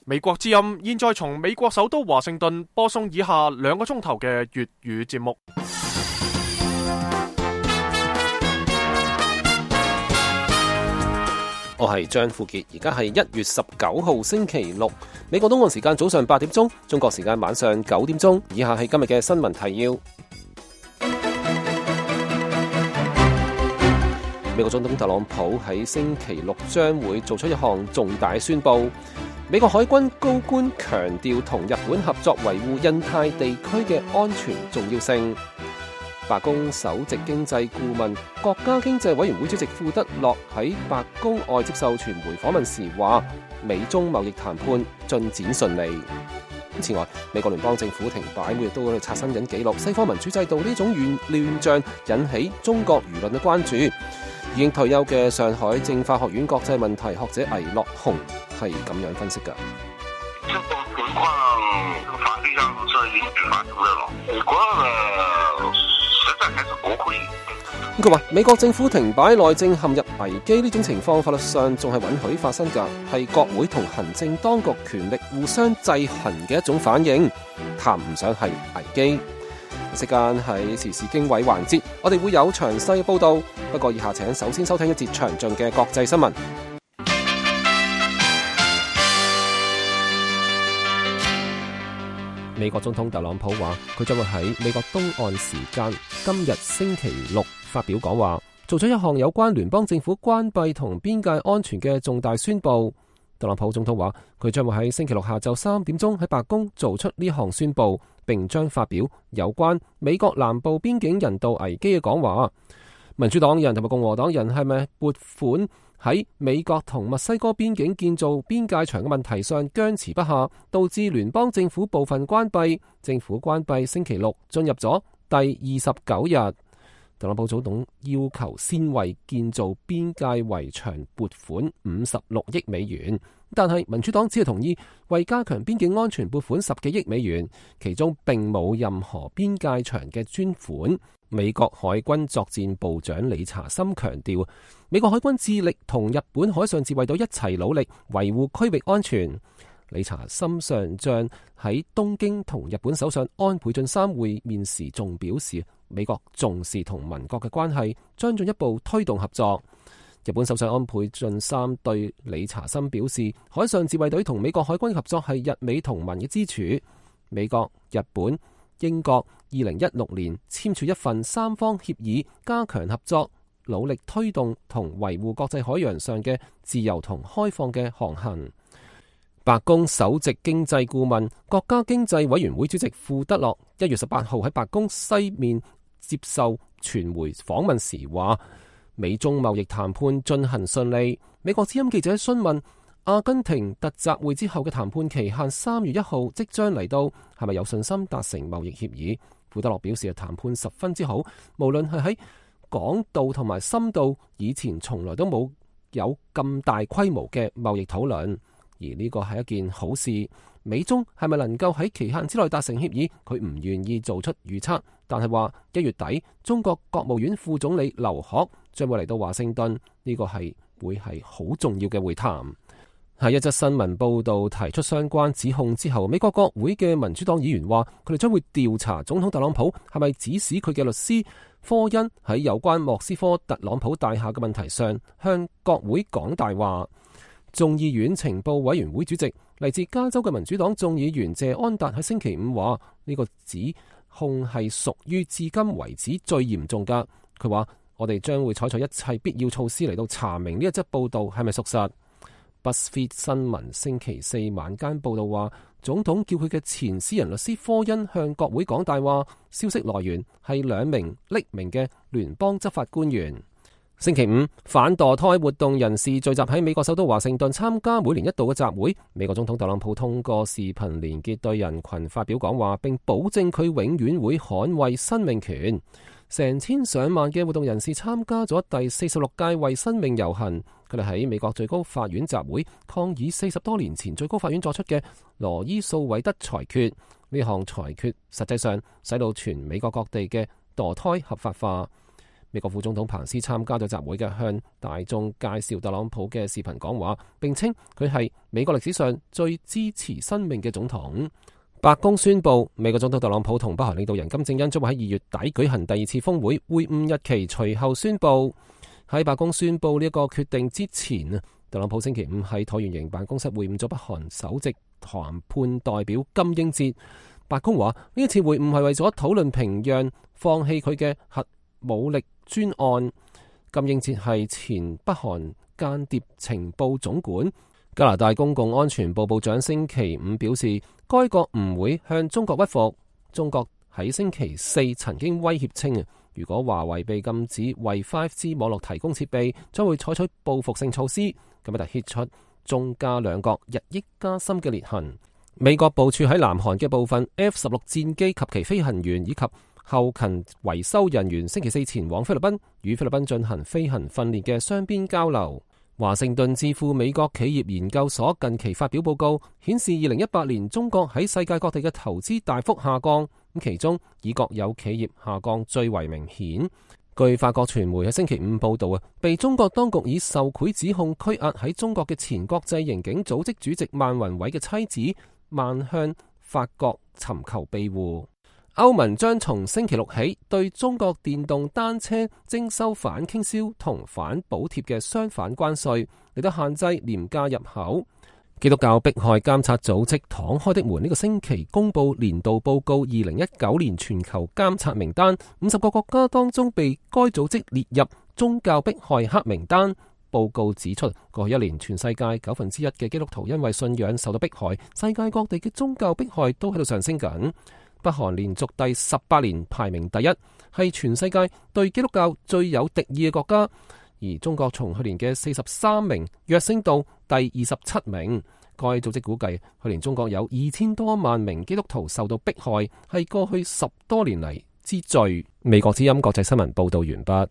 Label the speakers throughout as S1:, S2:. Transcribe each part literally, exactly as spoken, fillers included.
S1: 美國之音現在從美國首都華盛頓播送以下兩個鐘頭嘅粵語節目。
S2: 我係張富傑，而家係一月十九號星期六，美國東岸時間早上八點鐘，中國時間晚上九點鐘。以下係今日嘅新聞提要。美國總統特朗普喺星期六將會做出一項重大宣佈。美國海軍高官強調同日本合作維護印太地區嘅安全重要性。白宮首席經濟顧問、國家經濟委員會主席庫德洛喺白宮外接受傳媒訪問時話，美中貿易談判進展順利。此外，美國聯邦政府停擺，每日都喺度刷新緊紀錄。西方民主制度呢種亂亂象引起中國輿論嘅關注。已經退休嘅上海政法學院國際問題學者倪樂雄係咁樣分析㗎。
S3: 這種情況法律上是允許發生的咯。美國呢，實在還是國會。
S2: 佢話美國政府停擺、內政陷入危機呢種情況，法律上仲係允許發生㗎，係國會同行政當局權力互相制衡嘅一種反應，談唔上係危機。時間喺時事經緯環節，我哋會有詳細報道。不過以下請首先收聽一節詳盡嘅國際新聞。美國總統特朗普話，佢將會喺美國東岸時間今日星期六發表講話，做出一項有關聯邦政府關閉同邊界安全嘅重大宣佈。特朗普總統話，佢將會喺星期六下晝三點鐘喺白宮做出呢項宣佈，並將發表有關美國南部邊境人道危機嘅講話。民主黨人同埋共和黨人係咪撥款喺美國同墨西哥邊境建造邊界牆嘅問題上僵持不下，導致聯邦政府部分關閉。政府關閉星期六進入咗第二十九日。特朗普總統要求先為建造邊界圍牆撥款五十六億美元，但係民主黨只係同意為加強邊境安全撥款十幾億美元，其中並冇任何邊界牆嘅專款。美國海軍作戰部長理查森強調，美國海軍致力同日本海上自衛隊一齊努力維護區域安全。理查森上將喺東京同日本首相安倍晉三會面時仲表示，美國重視同盟國嘅關係，將進一步推動合作。日本首相安倍晉三對理查森表示，海上自衛隊同美國海軍合作係日美同盟嘅支柱。美國、日本、英國二零一六年簽署一份三方協議，加強合作，努力推動同維護國際海洋上嘅自由同開放嘅航行。白宮首席經濟顧問、國家經濟委員會主席庫德洛一月十八號喺白宮西面接受傳媒訪問時話，美中貿易談判進行順利。美國之音記者詢問阿根廷特集會之後嘅談判期限三月一號即將嚟到，係咪有信心達成貿易協議？庫德洛表示，談判十分之好，無論係喺廣度同埋深度，以前從來都冇有咁大規模嘅貿易討論。而呢個係一件好事。美中係咪能夠喺期限之內達成協議？佢唔願意做出預測，但係話一月底中國國務院副總理劉鶴將會嚟到華盛頓，呢個係會係好重要嘅會談。喺一則新聞報道提出相關指控之後，美國國會嘅民主黨議員話，佢哋將會調查總統特朗普係咪指使佢嘅律師科恩喺有關莫斯科特朗普大廈嘅問題上向國會講大話。眾議院情報委員會主席嚟自加州嘅民主黨眾議員謝安達喺星期五話，呢個指控係屬於至今為止最嚴重㗎。佢話，我哋將會採取一切必要措施嚟到查明呢一則報道係咪屬實。BuzzFeed 新聞星期四晚間報道話，總統叫佢嘅前私人律師科恩向國會講大話，消息來源係兩名匿名嘅聯邦執法官員。星期五，反墮胎活動人士聚集喺美國首都華盛頓參加每年一度嘅集會。美國總統特朗普通過視頻連結對人群發表講話，並保證佢永遠會捍衛生命權。成千上萬嘅活動人士參加咗第四十六屆為生命遊行，佢哋喺美國最高法院集會抗議四十多年前最高法院作出嘅羅伊訴韋德裁決。呢項裁決實際上使到全美國各地嘅墮胎合法化。美國副總統彭斯參加咗集會嘅，向大眾介紹特朗普嘅視頻講話，並稱佢係美國歷史上最支持生命嘅總統。白宮宣布，美國總統特朗普同北韓領導人金正恩將會喺二月底舉行第二次峰會，會晤日期隨後宣布。喺白宮宣布呢一個決定之前啊，特朗普星期五喺橢圓形辦公室會晤咗北韓首席談判代表金英哲。白宮話呢一次會晤係為咗討論平壤放棄佢嘅核武力專案。金英哲係前北韓間諜情報總管。加拿大公共安全部部長星期五表示，該國唔會向中國屈服。中國喺星期四曾經威脅稱，如果華為被禁止為 五 G 網絡提供設備，將會採取報復性措施。咁就揭出中加兩國日益加深嘅裂痕。美國部署喺南韓嘅部分 F 十六戰機及其飛行員以及後勤維修人員星期四前往菲律賓，與菲律賓進行飛行訓練嘅雙邊交流。華盛頓智庫美國企業研究所近期發表報告，顯示二零一八年中國喺世界各地嘅投資大幅下降，咁其中以國有企業下降最為明顯。據法國傳媒喺星期五報道啊，被中國當局以受賄指控拘押喺中國嘅前國際刑警組織主席萬宏偉嘅妻子萬向法國尋求庇護。歐盟將從星期六起對中國電動單車徵收反傾銷同反補貼嘅相反關稅，嚟到限制廉價入口。基督教迫害監察組織敞開的門呢個星期公布年度報告二零一九年全球監察名單，五十個國家當中被該組織列入宗教迫害黑名單。報告指出，過去一年全世界九分之一嘅基督徒因為信仰受到迫害，世界各地嘅宗教迫害都喺度上升緊。北韓連續第十八年排名第一，係全世界對基督教最有敵意嘅國家。而中國從去年嘅四十三名躍升到第二十七名。該組織估計，去年中國有二千多萬名基督徒受到迫害，係過去十多年嚟之最。美國之音國際新聞報道完畢。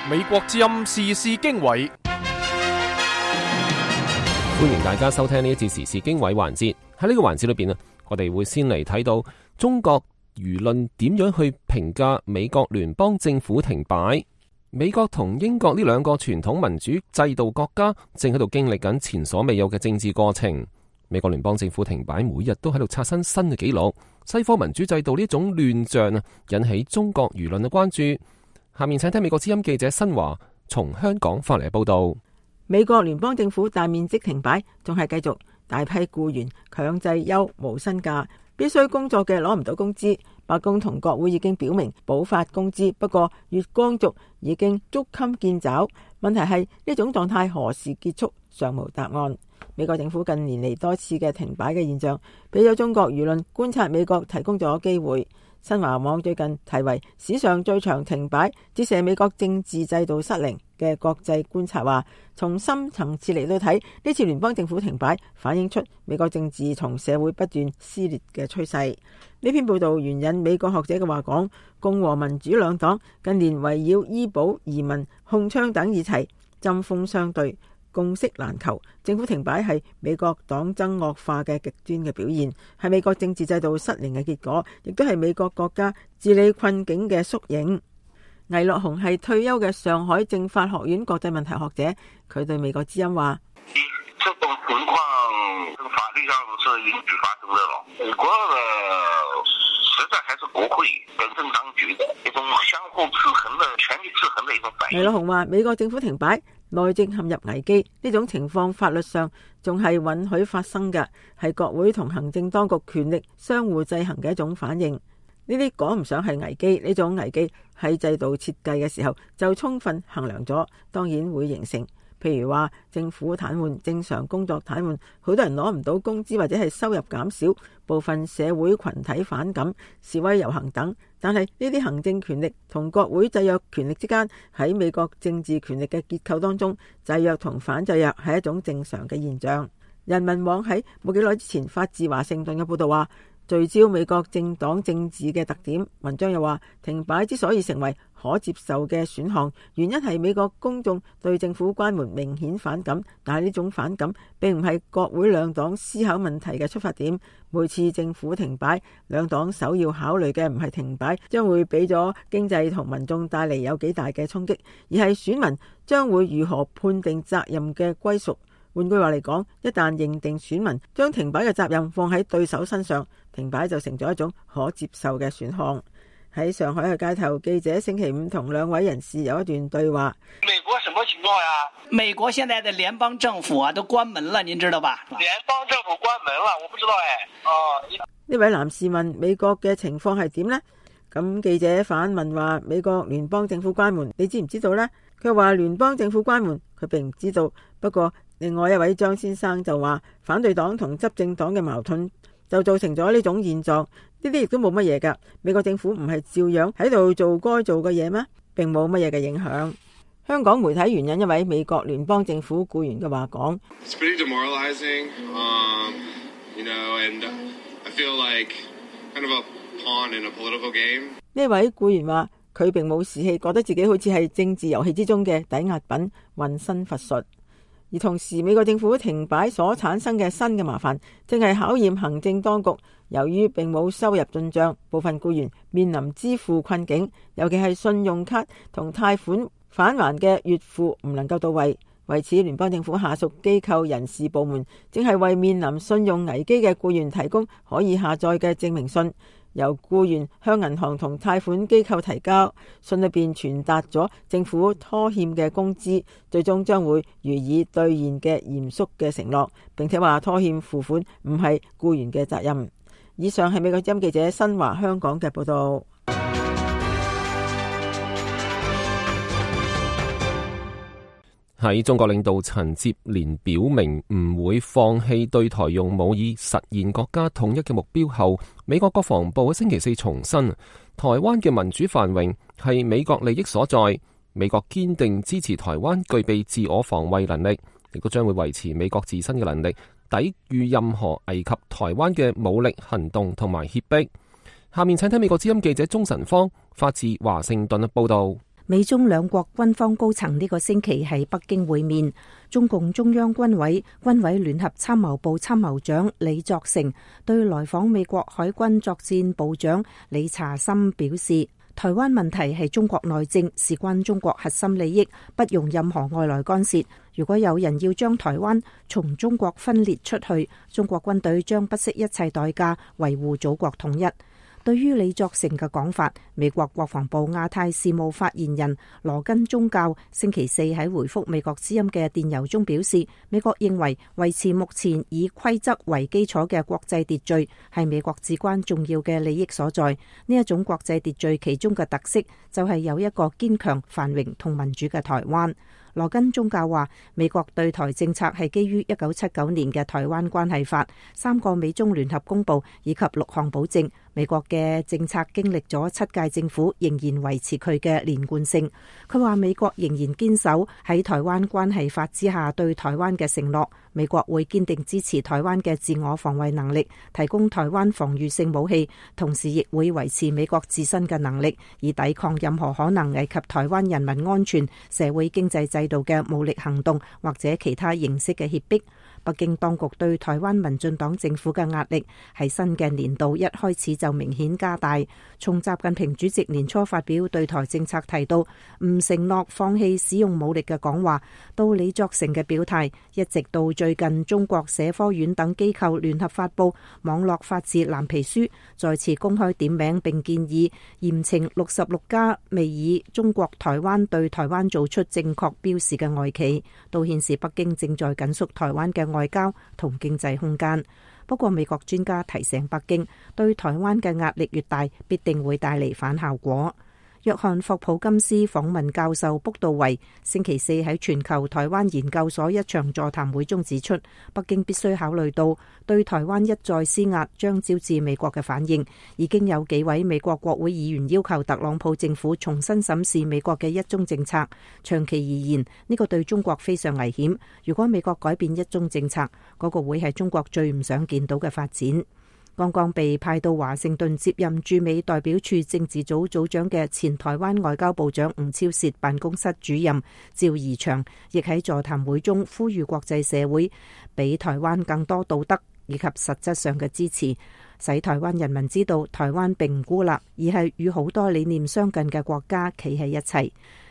S1: 美國之音時事經緯。
S2: 歡迎大家收聽呢一節時事經緯環節。喺呢個環節裏邊啊，我哋會先嚟睇到中國輿論點樣去評價美國聯邦政府停擺。美國同英國呢兩個傳統民主制度國家正喺度經歷緊前所未有嘅政治過程。美國聯邦政府停擺，每日都喺度刷新新嘅紀錄。西方民主制度呢種亂象啊，引起中國輿論嘅關注。下面請聽美國之音記者新華從香港發嚟嘅報道。
S4: 美國聯邦政府大面積停擺，仲係繼續大批僱員強制休無薪假，必須工作嘅攞唔到工資。白宮同國會已經表明補發工資，不過月光族已經捉襟見肘。問題係呢種狀態何時結束，尚無答案。美國政府近年嚟多次嘅停擺嘅現象，俾咗中國輿論觀察美國提供咗機會。新華網最近題為史上最長停擺，折射美國政治制度失靈嘅國際觀察話，從深層次嚟到睇，呢次聯邦政府停擺反映出美國政治同社會不斷撕裂嘅趨勢。呢篇報道援引美國學者嘅話講，共和民主兩黨近年圍繞醫保、移民、控槍等議題針鋒相對，共識難求。政府停擺係美國黨爭惡化嘅極端嘅表現，係美國政治制度失靈嘅結果，亦都係美國國家治理困境嘅縮影。魏樂雄係退休嘅上海政法學院國際問題學者，佢對美國之音話：
S3: 這種情況法律上是允許發生的咯。美國的實在還是國會本身當局的一種相互制衡的權力制衡的一種反應。
S4: 魏樂雄話：美國政府停擺，內政陷入危機，呢種情況法律上仲係允許發生嘅，係國會同行政當局權力相互制衡嘅一種反應。呢啲講唔上係危機，呢種危機喺制度設計嘅時候就充分衡量咗，當然會形成。譬如話政府癱瘓、正常工作癱瘓，好多人攞唔到工資或者係收入減少，部分社會群體反感、示威遊行等。但係呢啲行政權力同國會制約權力之間，喺美國政治權力嘅結構當中，制約同反制約係一種正常嘅現象。人民網喺冇幾耐之前發自華盛頓嘅報道話，聚焦美國政黨政治嘅特點。文章又話，停擺之所以成為可接受嘅選項，原因係美國公眾對政府關門明顯反感，但係呢種反感並唔係國會兩黨思考問題嘅出發點。每次政府停擺，兩黨首要考慮嘅唔係停擺將會俾咗經濟同民眾帶嚟有幾大嘅衝擊，而係選民將會如何判定責任嘅歸屬。換句話嚟講，一旦認定選民將停擺嘅責任放喺對手身上，停擺就成咗一種可接受嘅選項。喺上海嘅街頭，記者星期五同兩位人士有一段對話。
S3: 美國什麼情況呀？
S5: 美國現在的聯邦政府啊都關門了，您知道吧？
S3: 聯邦政府關門了，我不知道誒。哦，
S4: 呢位男士問美國嘅情況係點呢？咁記者反問話，美國聯邦政府關門，你知唔知道呢？佢話聯邦政府關門，佢並唔知道。不過另外一位張先生就話，反對黨同執政黨嘅矛盾就造成咗呢種現狀。呢啲亦都冇乜嘢噶，美國政府唔係照樣喺度做該做嘅嘢咩？並冇乜嘢嘅影響。香港媒體援引一位美國聯邦政府僱員嘅話講：呢位僱員話佢並冇士氣，覺得自己好似係政治遊戲之中嘅抵押品，渾身乏術。而同時，美國政府停擺所產生嘅新嘅麻煩，正係考驗行政當局。由於並冇收入進帳，部分僱員面臨支付困境，尤其係信用卡同貸款返還嘅月付唔能夠到位。為此，聯邦政府下屬機構人事部門正係為面臨信用危機嘅僱員提供可以下載嘅證明信。由僱員向銀行同貸款機構提交，信裏邊傳達咗政府拖欠嘅工資，最終將會予以兌現嘅嚴肅嘅承諾，並且話拖欠付款唔係僱員嘅責任。以上係美國之音記者新華香港嘅報道。
S2: 喺中國領導陳接連表明唔會放棄對台用武以實現國家統一嘅目標後，美國國防部喺星期四重申，台灣嘅民主繁榮係美國利益所在，美國堅定支持台灣具備自我防衛能力，亦都將會維持美國自身嘅能力，抵禦任何危及台灣嘅武力行動同埋脅迫。下面請睇美國之音記者鍾晨芳發自華盛頓嘅報道。
S6: 美中兩國軍方高層呢個星期喺北京會面，中共中央軍委軍委聯合參謀部參謀長李作成對來訪美國海軍作戰部長李查森表示，台灣問題係中國內政，事關中國核心利益，不容任何外來干涉。如果有人要將台灣從中國分裂出去，中國軍隊將不惜一切代價維護祖國統一。對於李作成嘅講法，美國國防部亞太事務發言人羅根宗教星期四喺回覆美國之音嘅電郵中表示，美國認為維持目前以規則為基礎嘅國際秩序係美國至關重要嘅利益所在。呢一種國際秩序其中嘅特色就係有一個堅強、繁榮同民主嘅台灣。羅根宗教話，美國對台政策係基於一九七九年嘅台灣關係法、三個美中聯合公報以及六項保證。美國嘅政策經歷咗七屆政府，仍然維持佢嘅連貫性。佢話美國仍然堅守喺台灣關係法之下對台灣嘅承諾，美國會堅定支持台灣嘅自我防衛能力，提供台灣防禦性武器，同時亦會維持美國自身嘅能力，以抵抗任何可能危及台灣人民安全、社會經濟制度嘅武力行動或者其他形式嘅脅迫。北京當局對台灣民進黨政府嘅壓力喺新嘅年度一開始就明顯加大。從習近平主席年初發表對台政策提到唔承諾放棄使用武力嘅講話，到李作成嘅表態，一直到最近中國社科院等機構聯合發布網絡法治藍皮書，再次公開點名並建議嚴懲六十六家未以中國台灣對台灣做出正確標示嘅外企，都顯示北京正在緊縮台灣嘅外交同經濟空間。不過美國專家提醒北京，對台灣嘅壓力越大，必定會帶嚟反效果。約翰霍普金斯訪問教授卜道維星期四喺全球台灣研究所一場座談會中指出，北京必須考慮到對台灣一再施壓將招致美國嘅反應。已經有幾位美國國會議員要求特朗普政府重新審視美國嘅一中政策。長期而言，呢個對中國非常危險。如果美國改變一中政策，嗰個會係中國最唔想見到嘅發展。剛剛被派到華盛頓接任駐美代表處政治組組長嘅前台灣外交部長吳釗燮辦公室主任趙怡翔，亦喺座談會中呼籲國際社會俾台灣更多道德以及實質上嘅支持，使台灣人民知道台灣並唔孤立，而係與好多理念相近嘅國家企喺一齊。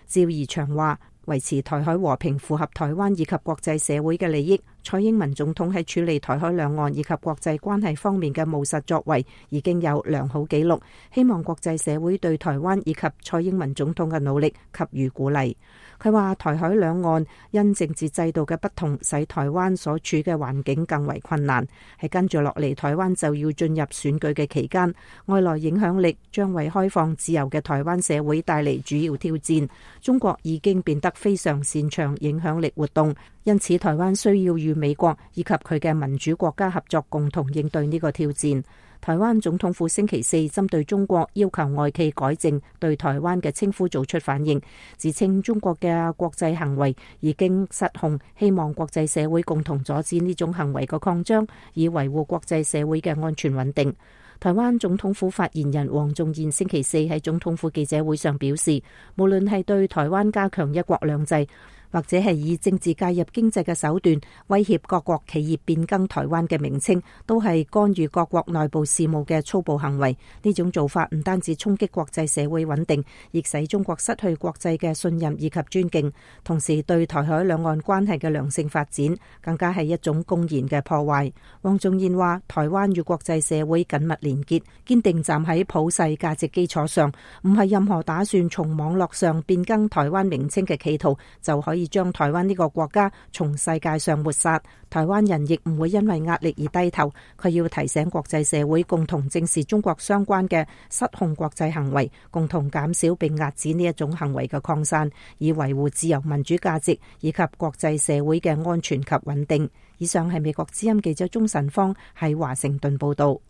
S6: 趙怡翔話：維持台海和平符合台灣以及國際社會嘅利益。蔡英文總統喺處理台海兩岸以及國際關係方面嘅務實作為已經有良好記錄，希望國際社會對台灣以及蔡英文總統嘅努力給予鼓勵。佢話台海兩岸因政治制度嘅不同，使台灣所處嘅環境更為困難。喺跟住落嚟，台灣就要進入選舉嘅期間，外來影響力將為開放自由嘅台灣社會帶嚟主要挑戰。中國已經變得非常擅長影響力活動，因此台灣需要與美國以及佢嘅民主國家合作，共同應對呢個挑戰。台灣總統府星期四針對中國要求外企改正對台灣嘅稱呼做出反應，自稱中國嘅國際行為已經失控，希望國際社會共同阻止呢種行為嘅擴張，以維護國際社會嘅安全穩定。台灣總統府發言人黃仲賢星期四喺總統府記者會上表示，無論係對台灣加強一國兩制，或者係以政治介入經濟嘅手段威脅各國企業變更台灣嘅名稱，都係干預各國內部事務嘅粗暴行為。呢種做法唔單止衝擊國際社會穩定，亦使中國失去國際嘅信任以及尊敬，同時對台海兩岸關係嘅良性發展更加係一種公然嘅破壞。黃仲賢話：台灣與國際社會緊密連結，堅定站喺普世價值基礎上，唔係任何打算從網絡上變更台灣名稱嘅企圖就可以將台灣呢個國家從世界上抹殺。台灣人亦唔會因為壓力而低頭。佢要提醒國際社會共同正視中國相關嘅失控國際行為，共同減少並遏止呢一種行為嘅擴散，以維護自由民主價值以及國際社會嘅安全及穩定。以上係美國之音記者鍾晨芳喺華盛頓報道。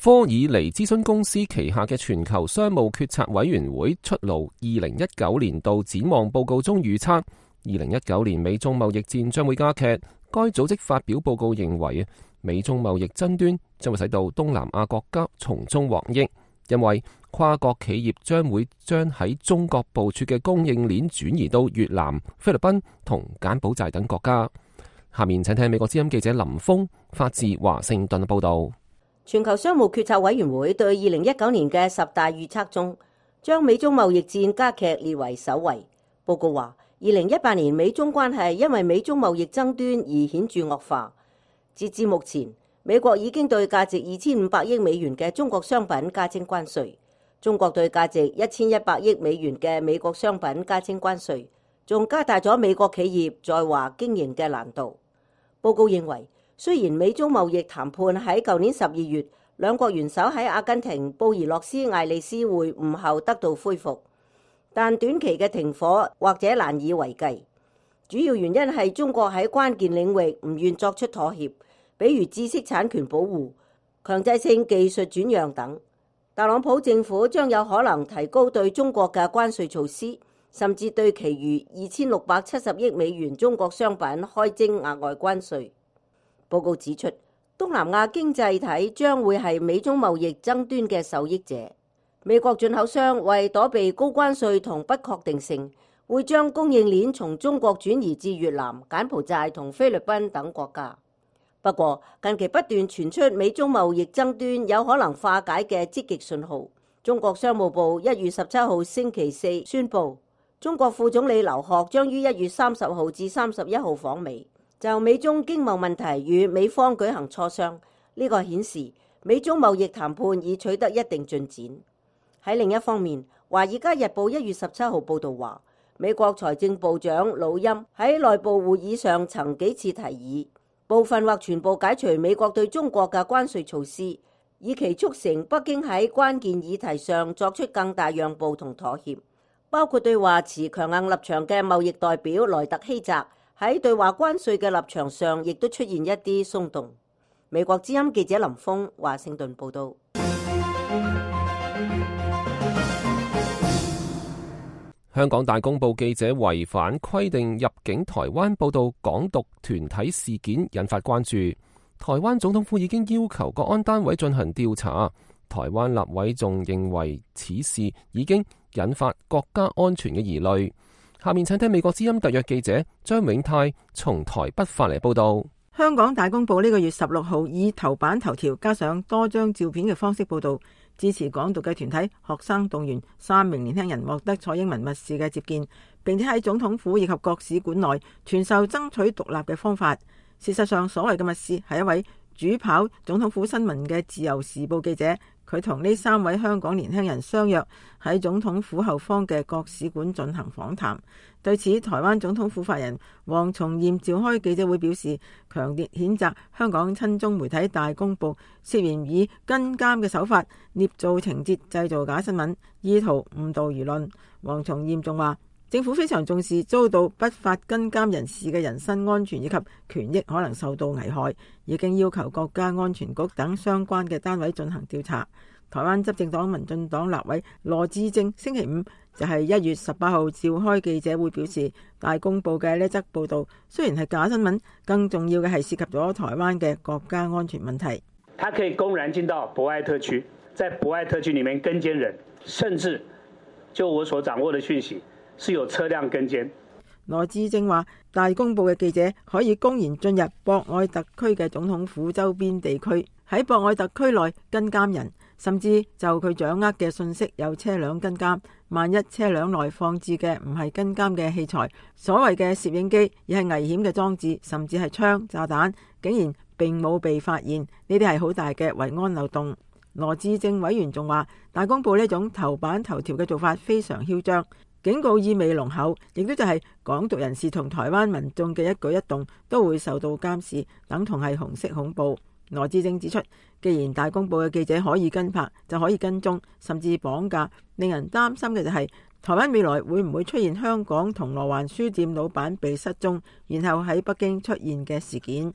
S2: 科爾尼諮詢公司旗下嘅全球商務決策委員會出爐二零一九年度展望報告中預測，二零一九年美中貿易戰將會加劇。該組織發表報告認為，美中貿易爭端將會使到東南亞國家從中獲益，因為跨國企業將會將喺中國部署嘅供應鏈轉移到越南、菲律賓同柬埔寨等國家。下面請聽美國之音記者林峰發自華盛頓報道。
S7: 全球商務決策委員會對二零一九年嘅十大預測中，將美中貿易戰加劇列為首位。報告話，二零一八年美中關係因為美中貿易爭端而顯著惡化。截至目前，美國已經對價值二千五百億美元嘅中國商品加徵關稅，中國對價值一千一百億美元嘅美國商品加徵關稅，仲加大咗美國企業在華經營嘅難度。報告認為，雖然美中貿易談判喺舊年十二月兩國元首喺阿根廷布宜諾斯艾利斯會晤後得到恢復，但短期嘅停火或者難以為繼。主要原因係中國喺關鍵領域唔願作出妥協，比如知識產權保護、強制性技術轉讓等。特朗普政府將有可能提高對中國嘅關稅措施，甚至對其餘二千六百七十億美元中國商品開徵額外關稅。報告指出，東南亞經濟體將會係美中貿易爭端嘅受益者。美國進口商為躲避高關稅同不確定性，會將供應鏈從中國轉移至越南、柬埔寨同菲律賓等國家。不過，近期不斷傳出美中貿易爭端有可能化解嘅積極信號。中國商務部一月十七號星期四宣布，中國副總理劉鶴將於一月三十號至三十一號訪美，就美中經貿問題與美方舉行磋商。呢個顯示美中貿易談判已取得一定進展。喺另一方面，《華爾街日報》一月十七號報導話，美國財政部長魯欽喺內部會議上曾幾次提議部分或全部解除美國對中國嘅關稅措施，以期促成北京喺關鍵議題上作出更大讓步同妥協，包括對華持強硬立場嘅貿易代表萊特希澤喺對華關稅嘅立場上，亦都出現一啲鬆動。美國之音記者林峰華盛頓報道。
S2: 香港大公報記者違反規定入境台灣報道港獨團體事件，引發關注。台灣總統府已經要求國安單位進行調查。台灣立委仲認為此事已經引發國家安全嘅疑慮。下面請聽美國之音特約記者張永泰從台北發嚟報道。
S4: 香港大公報呢個月十六號以頭版頭條加上多張照片嘅方式報道，支持港獨嘅團體學生動員三名年輕人獲得蔡英文密使嘅接見，並且喺總統府以及各使館內傳授爭取獨立嘅方法。事實上，所謂嘅密使係一位主跑總統府新聞嘅自由時報記者，佢同呢三位香港年輕人相約喺總統府後方嘅各使館進行訪談。對此，台灣總統府發言人黃重艷召開記者會表示，強烈譴責香港親中媒體大公報涉嫌以跟監嘅手法捏造情節，製造假新聞，意圖誤導輿論。黃重艷仲話，政府非常重視遭到不法跟監人士嘅人身安全以及權益可能受到危害，已經要求國家安全局等相關嘅單位進行調查。台灣執政黨民進黨立委羅致政星期五就係一月十八號召開記者會表示，大公報嘅呢則報道雖然係假新聞，更重要嘅係涉及咗台灣嘅國家安全問題。
S8: 他可以公然進到博愛特區，在博愛特區裡面跟監人，甚至就我所掌握的訊息，是有車輛跟監。
S4: 羅致政話，大公報嘅記者可以公然進入博愛特區嘅總統府周邊地區，喺博愛特區內跟監人，甚至就佢掌握嘅信息有車輛跟監。萬一車輛內放置嘅唔係跟監嘅器材，所謂嘅攝影機，而係危險嘅裝置，甚至係槍、炸彈，竟然並冇被發現，呢啲係好大嘅維安漏洞。羅致政委員仲話，大公報呢種頭版頭條嘅做法非常囂張，警告意味濃厚，亦都就係港獨人士同台灣民眾嘅一舉一動都會受到監視，等同係紅色恐怖。羅致政指出，既然大公報嘅記者可以跟拍，就可以跟蹤，甚至綁架，令人擔心嘅就係台灣未來會唔會出現香港銅鑼灣書店老闆被失蹤，然後喺北京出現嘅事件。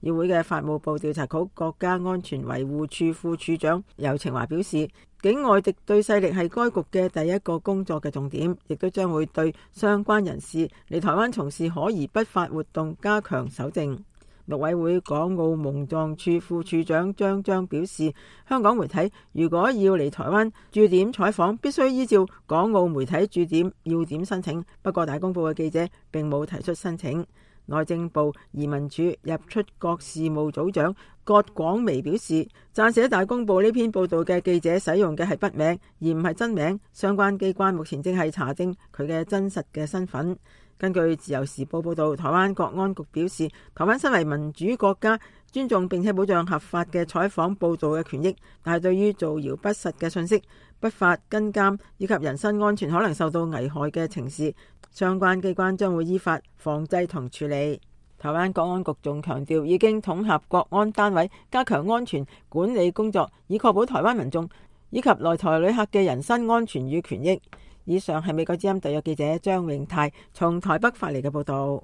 S4: 議會嘅法務部調查局國家安全維護處副處長游晴華表示，境外敵對勢力係該局嘅第一個工作嘅重點，亦都將會對相關人士嚟台灣從事可疑不法活動加強搜證。陸委會港澳蒙藏處副處長張章表示，香港媒體如果要嚟台灣駐點採訪，必須依照港澳媒體駐點要點申請。不過大公報嘅記者並冇提出申請。內政部移民署入出國事務組長葛廣薇表示，撰寫大公報呢篇報道嘅記者使用嘅係筆名而唔係真名，相關機關目前正係查證佢嘅真實嘅身份。根據自由時報報道，台灣國安局表示，台灣身為民主國家，尊重並且保障合法嘅採訪報道嘅權益，但係對於造謠不實嘅信息、不法跟監以及人身安全可能受到危害嘅情事，相關機關將會依法防制同處理。台灣國安局仲強調，已經統合國安單位，加強安全管理工作，以確保台灣民眾以及來台旅客嘅人身安全與權益。以上係美國之音特約記者張永泰從台北發嚟嘅報道。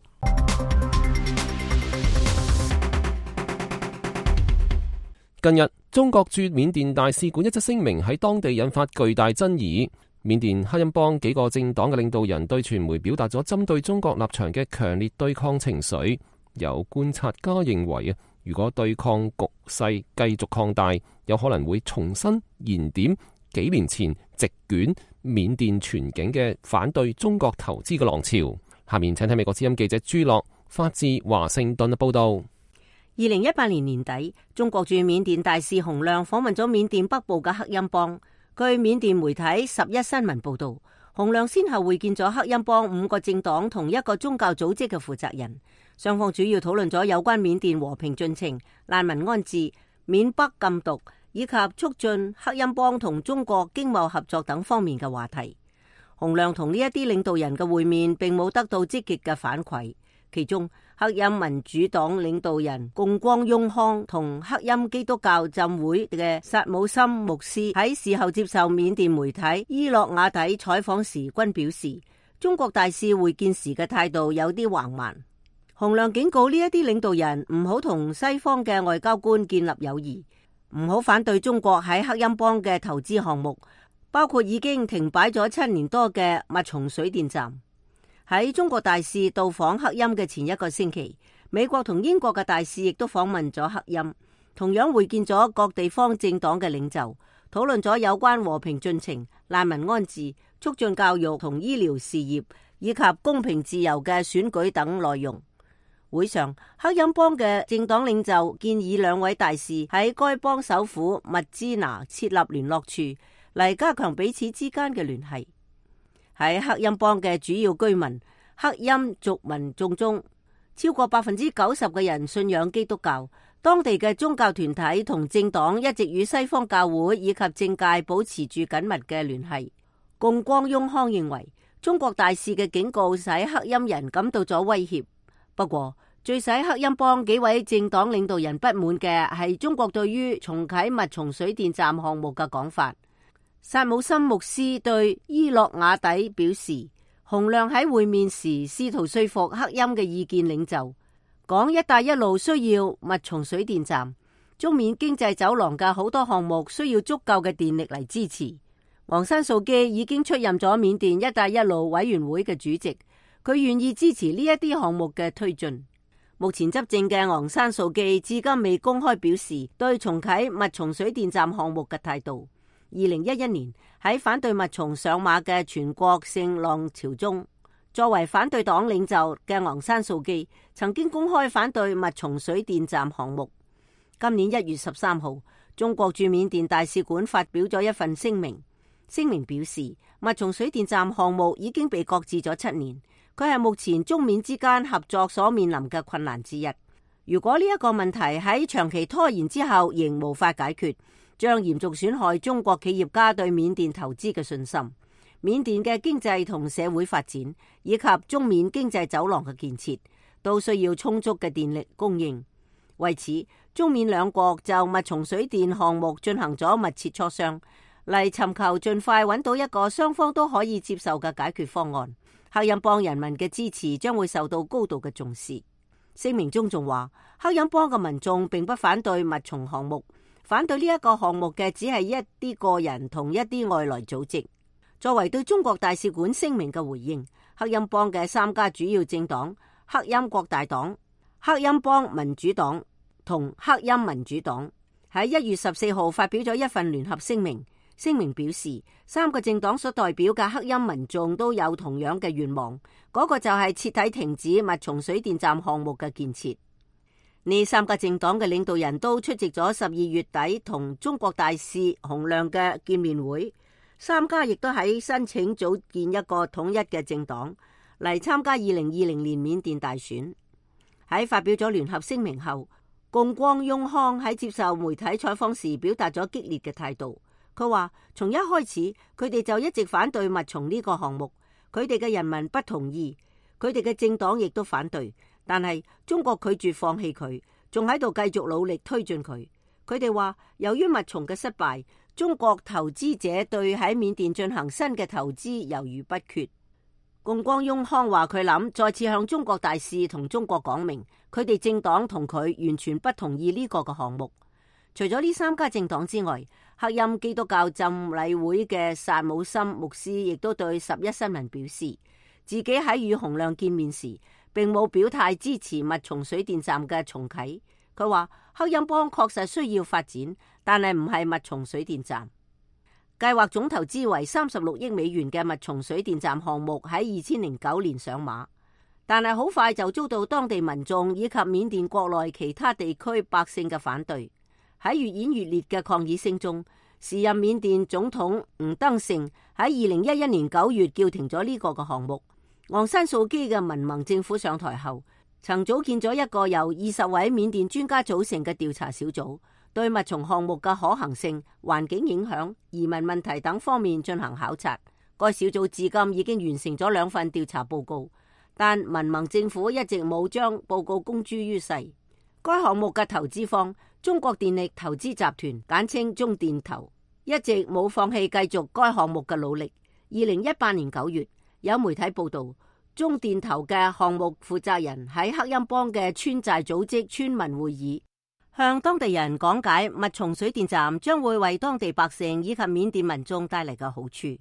S2: 近日，中國駐緬甸大使館一則聲明喺當地引發巨大爭議。緬甸克欽邦幾個政黨嘅領導人對傳媒表達咗針對中國立場嘅強烈對抗情緒。有觀察家認為啊，如果對抗局勢繼續擴大，有可能會重新燃點幾年前席捲緬甸全境嘅反對中國投資嘅浪潮。下面請睇美國之音記者朱樂發自華盛頓嘅報道。
S7: 二零一八年年底，中國駐緬甸大使洪亮訪問咗緬甸北部嘅克欽邦。據緬甸媒體十一新聞報道，洪亮先後會見咗克欽邦五個政黨同一個宗教組織嘅負責人，雙方主要討論咗有關緬甸和平進程、難民安置、緬北禁毒以及促進克欽邦同中國經貿合作等方面嘅話題。洪亮同呢一啲領導人嘅會面並冇得到積極嘅反饋，其中克欽民主黨領導人貢光雍康同克欽基督教浸會嘅薩姆森牧師喺事後接受緬甸媒體伊洛瓦底採訪時均表示，中國大使會見時嘅態度有啲橫蠻。洪亮警告呢一啲領導人唔好同西方嘅外交官建立友誼，唔好反對中國喺克欽邦嘅投資項目，包括已經停擺咗七年多嘅密松水電站。喺中國大使到訪克欽嘅前一個星期，美國同英國嘅大使亦都訪問咗克欽，同樣會見咗各地方政黨嘅領袖，討論咗有關和平進程、難民安置、促進教育同醫療事業以及公平自由嘅選舉等內容。會上，克欽邦嘅政黨領袖建議兩位大使喺該邦首府密支那設立聯絡處，嚟加強彼此之間嘅聯繫。喺克欽邦嘅主要居民克欽族民眾中，超過百分之九十嘅人信仰基督教。當地嘅宗教團體同政黨一直與西方教會以及政界保持住緊密嘅聯繫。共光雍康認為，中國大使嘅警告使克欽人感到咗威脅。不過，最使克欽邦幾位政黨領導人不滿嘅係中國對於重啟密松水電站項目嘅講法。薩姆森牧師對伊洛瓦底表示，洪亮喺會面時試圖說服克欽嘅意見領袖，講一帶一路需要密松水電站，中緬經濟走廊嘅好多項目需要足夠嘅電力嚟支持。昂山素基已經出任咗緬甸一帶一路委員會嘅主席，佢願意支持呢一啲項目嘅推進。目前執政嘅昂山素基至今未公開表示對重啟密松水電站項目嘅態度。二零一一年喺反對密松上馬嘅全國性浪潮中，作為反對黨領袖嘅昂山素基曾經公開反對密松水電站項目。今年一月十三號，中國駐緬甸大使館發表咗一份聲明，聲明表示密松水電站項目已經被擱置咗七年，佢係目前中緬之間合作所面臨嘅困難之一。如果呢一個問題喺長期拖延之後仍無法解決，將嚴重損害中國企業家對緬甸投資嘅信心。緬甸嘅經濟同社會發展以及中緬經濟走廊嘅建設都需要充足嘅電力供應。為此，中緬兩國就密松水電項目進行咗密切磋商，嚟尋求盡快揾到一個雙方都可以接受嘅解決方案。克欽邦人民嘅支持將會受到高度嘅重視。聲明中仲話，克欽邦嘅民眾並不反對密松項目，反對呢一個項目嘅只係一啲個人同一啲外來組織。作為對中國大使館聲明嘅回應，克欽邦嘅三家主要政黨克欽國大黨、克欽邦民主黨同克欽民主黨喺一月十四號發表咗一份聯合聲明。聲明表示，三個政黨所代表嘅克欽民眾都有同樣嘅願望，嗰個就係徹底停止密松水電站項目嘅建設。呢三個政黨嘅領導人都出席咗十二月底同中國大使洪亮嘅見面會，三家亦都喺申請組建一個統一嘅政黨嚟參加二零二零年緬甸大選。喺發表咗聯合聲明後，共光雍康喺接受媒體採訪時表達咗激烈嘅態度。佢話從一開始佢哋就一直反對密松呢個項目，佢哋嘅人民不同意，佢哋嘅政黨亦都反對，但係中國拒絕放棄佢，仲喺度繼續努力推進佢。佢哋話由於密松嘅失敗，中國投資者對喺緬甸進行新嘅投資猶豫不決。共光雍康話佢諗再次向中國大使同中國講明，佢哋政黨同佢完全不同意呢個嘅項目。除咗呢三家政黨之外，克欽基督教浸禮會嘅薩姆森牧師亦都對十一新聞表示，自己喺與洪亮見面時並冇表態支持密松水電站嘅重啟。佢話克欽邦確實需要發展，但係唔係密松水電站。計劃總投資為三十六億美元嘅密松水電站項目喺二千零九年上馬，但係好快就遭到當地民眾以及緬甸國內其他地區百姓嘅反對。喺越演越烈嘅抗議聲中，時任緬甸總統吳登盛喺二零一一年九月叫停咗呢個嘅項目。昂山素基嘅民盟政府上台後，曾組建咗一個由二十位緬甸專家組成嘅調查小組，對密松項目嘅可行性、環境影響、移民問題等方面進行考察。該小組至今已經完成咗兩份調查報告，但民盟政府一直冇將報告公諸於世。該項目嘅投資方中國電力投資集團簡稱中電投一直冇放棄繼續該項目嘅努力。二零一八年九月，有媒體報道，中電投嘅項目負責人喺克欽邦嘅村寨組織村民會議，向當地人講解密松水電站將會為當地百姓以及緬甸民眾帶嚟嘅好處。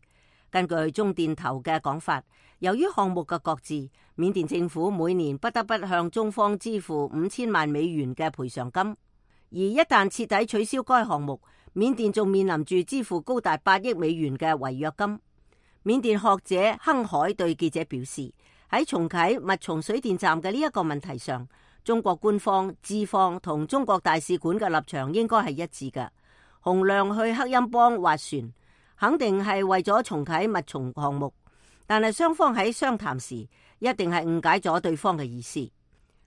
S7: 根據中電頭嘅講法，由於項目嘅擱置，緬甸政府每年不得不向中方支付五千萬美元嘅賠償金。而一旦徹底取消該項目，緬甸仲面臨住支付高達八億美元嘅違約金。緬甸學者亨海對記者表示，喺重啟密松水電站嘅呢一個問題上，中國官方、資方同中國大使館嘅立場應該係一致嘅。洪亮去克欽邦斡旋，肯定係為咗重啟密松項目，但係雙方喺商談時一定係誤解咗對方嘅意思。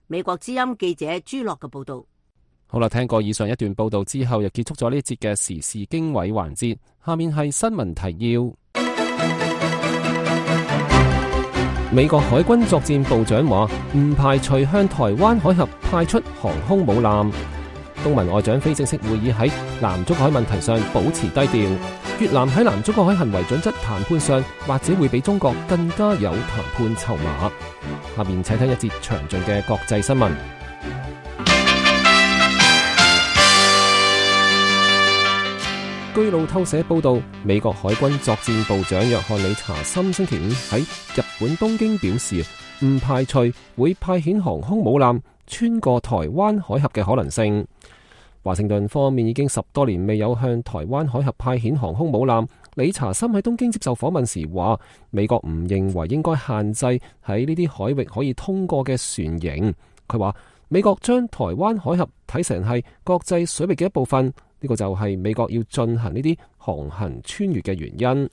S7: 美國之音記者朱樂嘅報道。
S2: 好啦，聽過以上一段報道之後，又結束咗呢一節嘅時事經緯環節。下面係新聞提要。美國海軍作戰部長話唔排除向台灣海峽派出航空母艦。東盟外長非正式會議喺南中國海問題上保持低調。越南喺南中國海行為準則談判上，或者會比中國更加有談判籌碼。下面請聽一節詳盡嘅國際新聞。據路透社報道，美國海軍作戰部長約翰里查森星期五喺日本東京表示，唔排除會派遣航空母艦穿過台灣海峽嘅可能性。華盛頓方面已經十多年未有向台灣海峽派遣航空母艦。理查森喺東京接受訪問時話，美國唔認為應該限制喺呢啲海域可以通過嘅船型。佢話美國將台灣海峽睇成係國際水域嘅一部分，呢個就係美國要進行呢啲航行穿越嘅原因。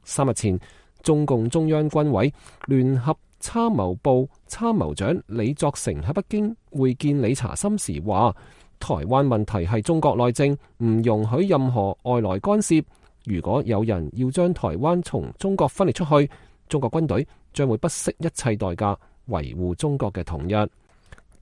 S2: 三日前，中共中央軍委聯合參謀部參謀長李作成喺北京會見理查森時話，台灣問題係中國內政，唔容許任何外來干涉。如果有人要將台灣從中國分裂出去，中國軍隊將會不惜一切代價維護中國嘅統一。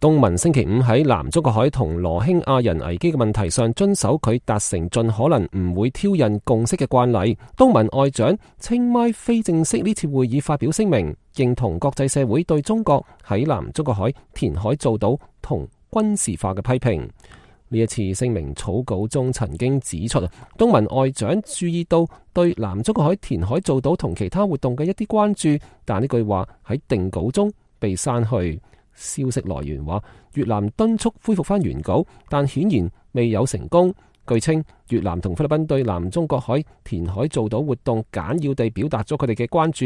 S2: 東盟星期五喺南中國海同羅興亞人危機嘅問題上遵守佢達成盡可能唔會挑釁共識嘅慣例。東盟外長清邁非正式呢次會議發表聲明，認同國際社會對中國喺南中國海填海造島同軍事化嘅批評。呢一次聲明草稿中曾經指出，東盟外長注意到對南中國海填海造島同其他活動嘅一啲關注，但呢句話喺定稿中被刪去。消息來源話，越南敦促恢復翻原稿，但顯然未有成功。據稱，越南同菲律賓對南中國海填海造島活動簡要地表達咗佢哋嘅關注。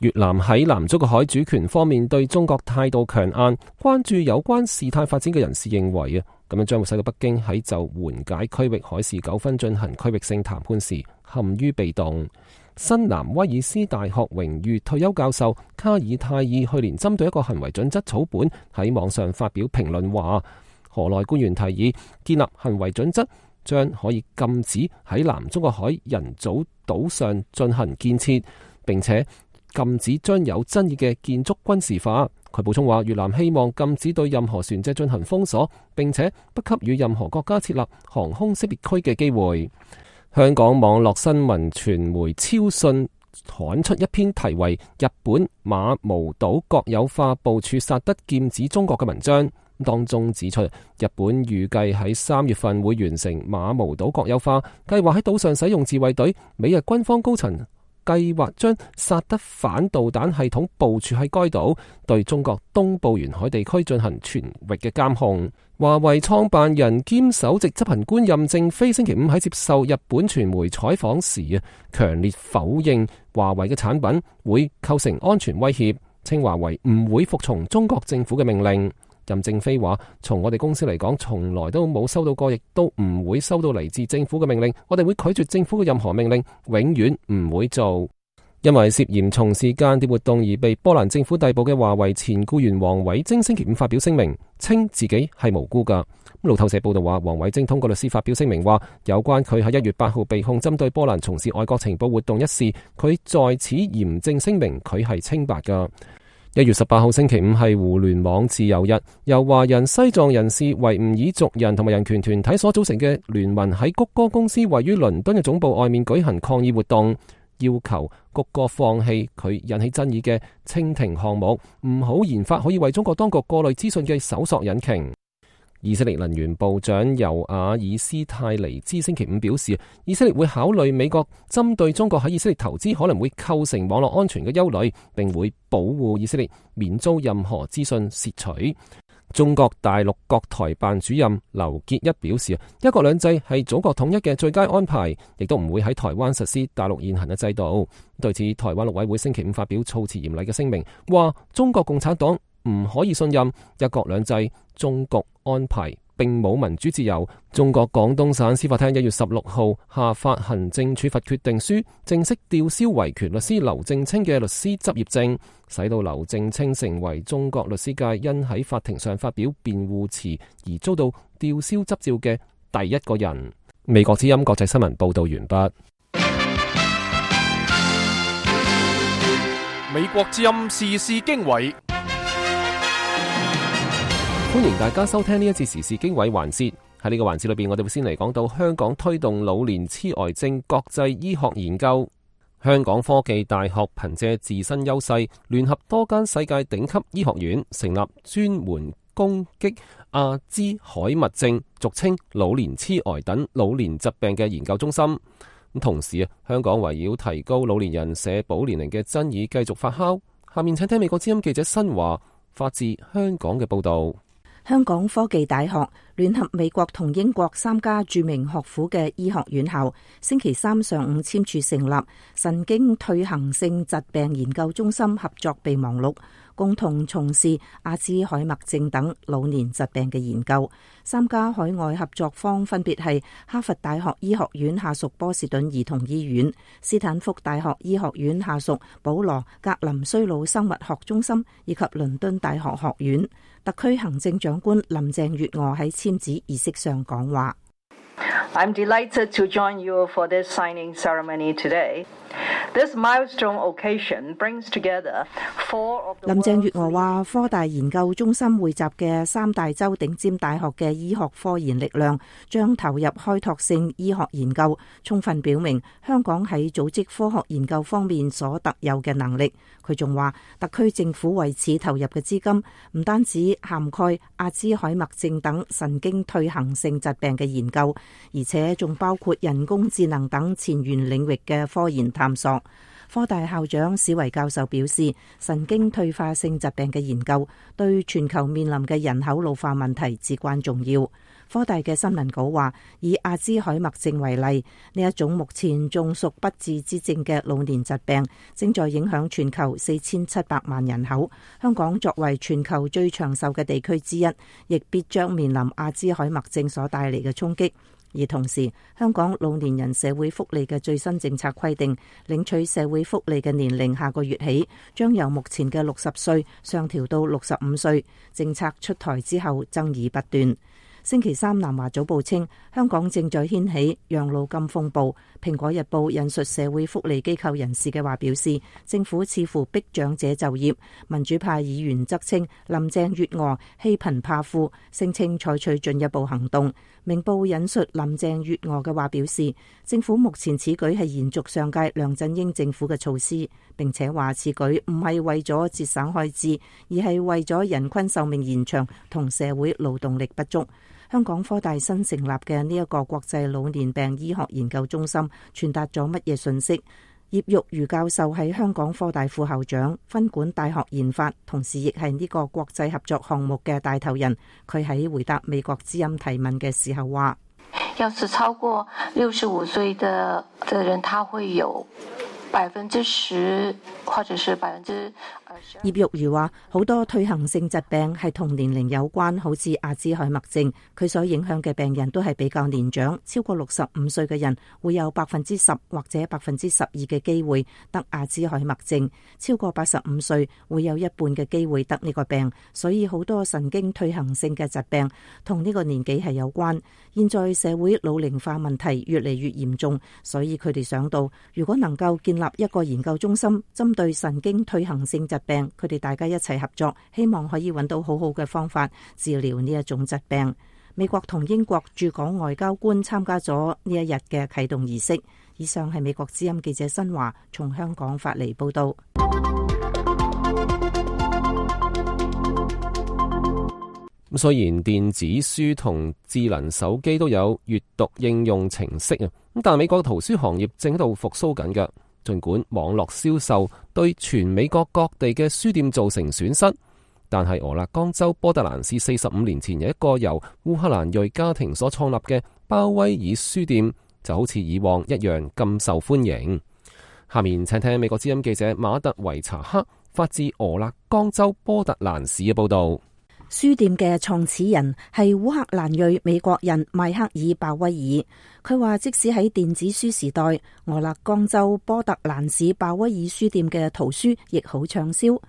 S2: 越南喺南中國海主權方面對中國態度強硬，關注有關事態發展嘅人士認為啊，咁樣將會使到北京喺就緩解區域海事糾紛進行區域性談判時陷於被動。新南威爾斯大學榮譽退休教授卡爾泰爾去年針對一個行為準則草本喺網上發表評論話，河內官員提議建立行為準則，將可以禁止喺南中國海人造島上進行建設，並且禁止將有爭議嘅建築軍事化。佢補充話，越南希望禁止對任何船隻進行封鎖，並且不給予任何國家設立航空識別區嘅機會。香港網絡新聞傳媒超訊刊出一篇題為《日本馬毛島國有化部署薩德劍指中國》嘅文章，當中指出，日本預計喺三月份會完成馬毛島國有化，計劃喺島上使用自衛隊。美日軍方高層計劃將薩德反導彈系統部署喺該島，對中國東部沿海地區進行全域嘅監控。華為創辦人兼首席執行官任正非星期五喺接受日本傳媒採訪時啊，強烈否認華為嘅產品會構成安全威脅，稱華為唔會服從中國政府嘅命令。任正非話，從我哋公司嚟講，從來都冇收到過，亦都唔會收到嚟自政府嘅命令。我哋會拒絕政府嘅任何命令，永遠唔會做。因為涉嫌從事間諜活動而被波蘭政府逮捕嘅華為前僱員王偉晶星期五發表聲明，稱自己係無辜噶。路透社報道話，王偉晶通過律師發表聲明話，有關佢喺一月八號被控針對波蘭從事外國情報活動一事，佢在此嚴正聲明佢係清白噶。一月十八號星期五係互聯網自由日，由華人、西藏人士、維吾爾族人同埋人權團體所組成嘅聯盟喺谷歌公司位於倫敦嘅總部外面舉行抗議活動，要求谷歌放棄佢引起爭議嘅蜻蜓項目，唔好研發可以為中國當局過濾資訊嘅搜索引擎。以色列能源部長尤瓦爾斯泰尼茲星期五表示，以色列會考慮美國針對中國喺以色列投資可能會構成網絡安全嘅憂慮，並會保護以色列免遭任何資訊竊取。中國大陸國台辦主任劉結一表示，一國兩制係祖國統一嘅最佳安排，亦都唔會喺台灣實施大陸現行嘅制度。對此，台灣陸委會星期五發表措辭嚴厲嘅聲明，話中國共產黨唔可以信任一國兩制中國安排，並冇民主自由。中國廣東省司法廳一月十六號下發行政處罰決定書，正式吊銷維權律師劉正清嘅律師執業證，使到劉正清成為中國律師界因喺法庭上發表辯護詞而遭到吊銷執照嘅第一個人。美國之音國際新聞報道完畢。
S1: 美國之音時事經緯。
S2: 歡迎大家收聽呢一節時事經緯環節。喺呢個環節裏邊，我哋會先嚟講到香港推動老年痴呆症國際醫學研究。香港科技大學憑借自身優勢，聯合多間世界頂級醫學院，成立專門攻擊阿茲海默症，俗稱老年痴呆等老年疾病嘅研究中心。咁同時啊，香港圍繞提高老年人社保年齡嘅爭議繼續發酵。下面請聽美國之音記者新華發自香港嘅報道。
S6: 香港科技大學聯合美國同英國三家著名學府嘅醫學院校，星期三上午簽署成立神經退行性疾病研究中心合作備忘錄，共同從事阿茲海默症等老年疾病嘅研究。三家海外合作方分別係哈佛大學醫學院下屬波士頓兒童醫院、斯坦福大學醫學院下屬保羅格林衰老生物學中心以及倫敦大學學院。特區行政長官林鄭月娥喺簽字儀式上講話。
S9: I'm delighted to join you for this signing ceremony today. This milestone occasion brings together four of the
S6: 林鄭月娥話，科大研究中心匯集嘅三大洲頂尖大學嘅醫學科研力量，將投入開拓性醫學研究，充分表明香港喺組織科學研究方面所特有嘅能力。佢仲話，特區政府為此投入嘅資金唔單止涵蓋阿茲海默症等神經退行性疾病嘅研究，而且仲包括人工智能等前沿領域嘅科研探索。科大校長史維教授表示，神經退化性疾病嘅研究對全球面臨嘅人口老化問題至關重要。科大嘅新聞稿話，以阿茲海默症為例，呢一種目前仲屬不治之症嘅老年疾病，正在影響全球四千七百萬人口。香港作為全球最長壽嘅地區之一，亦必將面臨阿茲海默症所帶嚟嘅衝擊。而同時，香港老年人社會福利嘅最新政策規定，領取社會福利嘅年齡下個月起將由目前嘅六十歲上調到六十五歲。政策出台之後，爭議不斷。星期三，南華早報稱，香港正在掀起養老金風暴。蘋果日報引述社會福利機構人士嘅話表示，政府似乎逼長者就業。民主派議員則稱林鄭月娥欺貧怕富，聲稱採取進一步行動。明報引述林鄭月娥嘅話表示，政府目前此舉係延續上屆梁振英政府嘅措施，並且話此舉唔係為咗節省開支，而係為咗人均壽命延長同社會勞動力不足。香港科大新成立嘅呢一個國際老年病醫學研究中心傳達咗乜嘢信息？葉玉如教授係香港科大副校長，分管大學研發，同時亦係呢個國際合作項目嘅帶頭人。佢喺回答美國之音提問嘅時候話：
S10: 要是超過六十五歲的的人，他會有百分之十，或者是百分之。
S6: 葉玉如話，好多退行性疾病係同年齡有關，好似阿茲海默症，佢所影響嘅病人都係比較年長，超過六十五歲嘅人會有百分之十或者百分之十二嘅機會得阿茲海默症，超過八十五歲會有一半嘅機會得呢個病，所以好多神經退行性嘅疾病同呢個年紀係有關。現在社會老齡化問題越嚟越嚴重，所以佢哋想到，如果能夠建立一個研究中心，針對神經退行性疾病，佢哋大家一齊合作，希望可以揾到好好嘅方法治療呢一種疾病。美國同英國駐港外交官參加咗呢一日嘅啟動儀式。以上係美國之音記者新華從香港發嚟報道。
S2: 雖然電子書同智能手機都有閱讀應用程式啊，咁但美國圖書行業正喺度復甦緊嘅。儘管網絡銷售對全美國各地嘅書店造成損失，但係俄勒岡州波特蘭市四十五年前有一個由烏克蘭裔家庭所創立嘅鮑威爾書店，就好似以往一樣咁受歡迎。下面請聽美國之音記者馬特維查克發自俄勒岡州波特蘭市嘅報道。
S6: 書店嘅創始人係烏克蘭裔美國人邁克爾鮑威爾。佢話即使喺電子書時代，俄勒岡州波特蘭市鮑威爾書店嘅圖書亦好暢銷。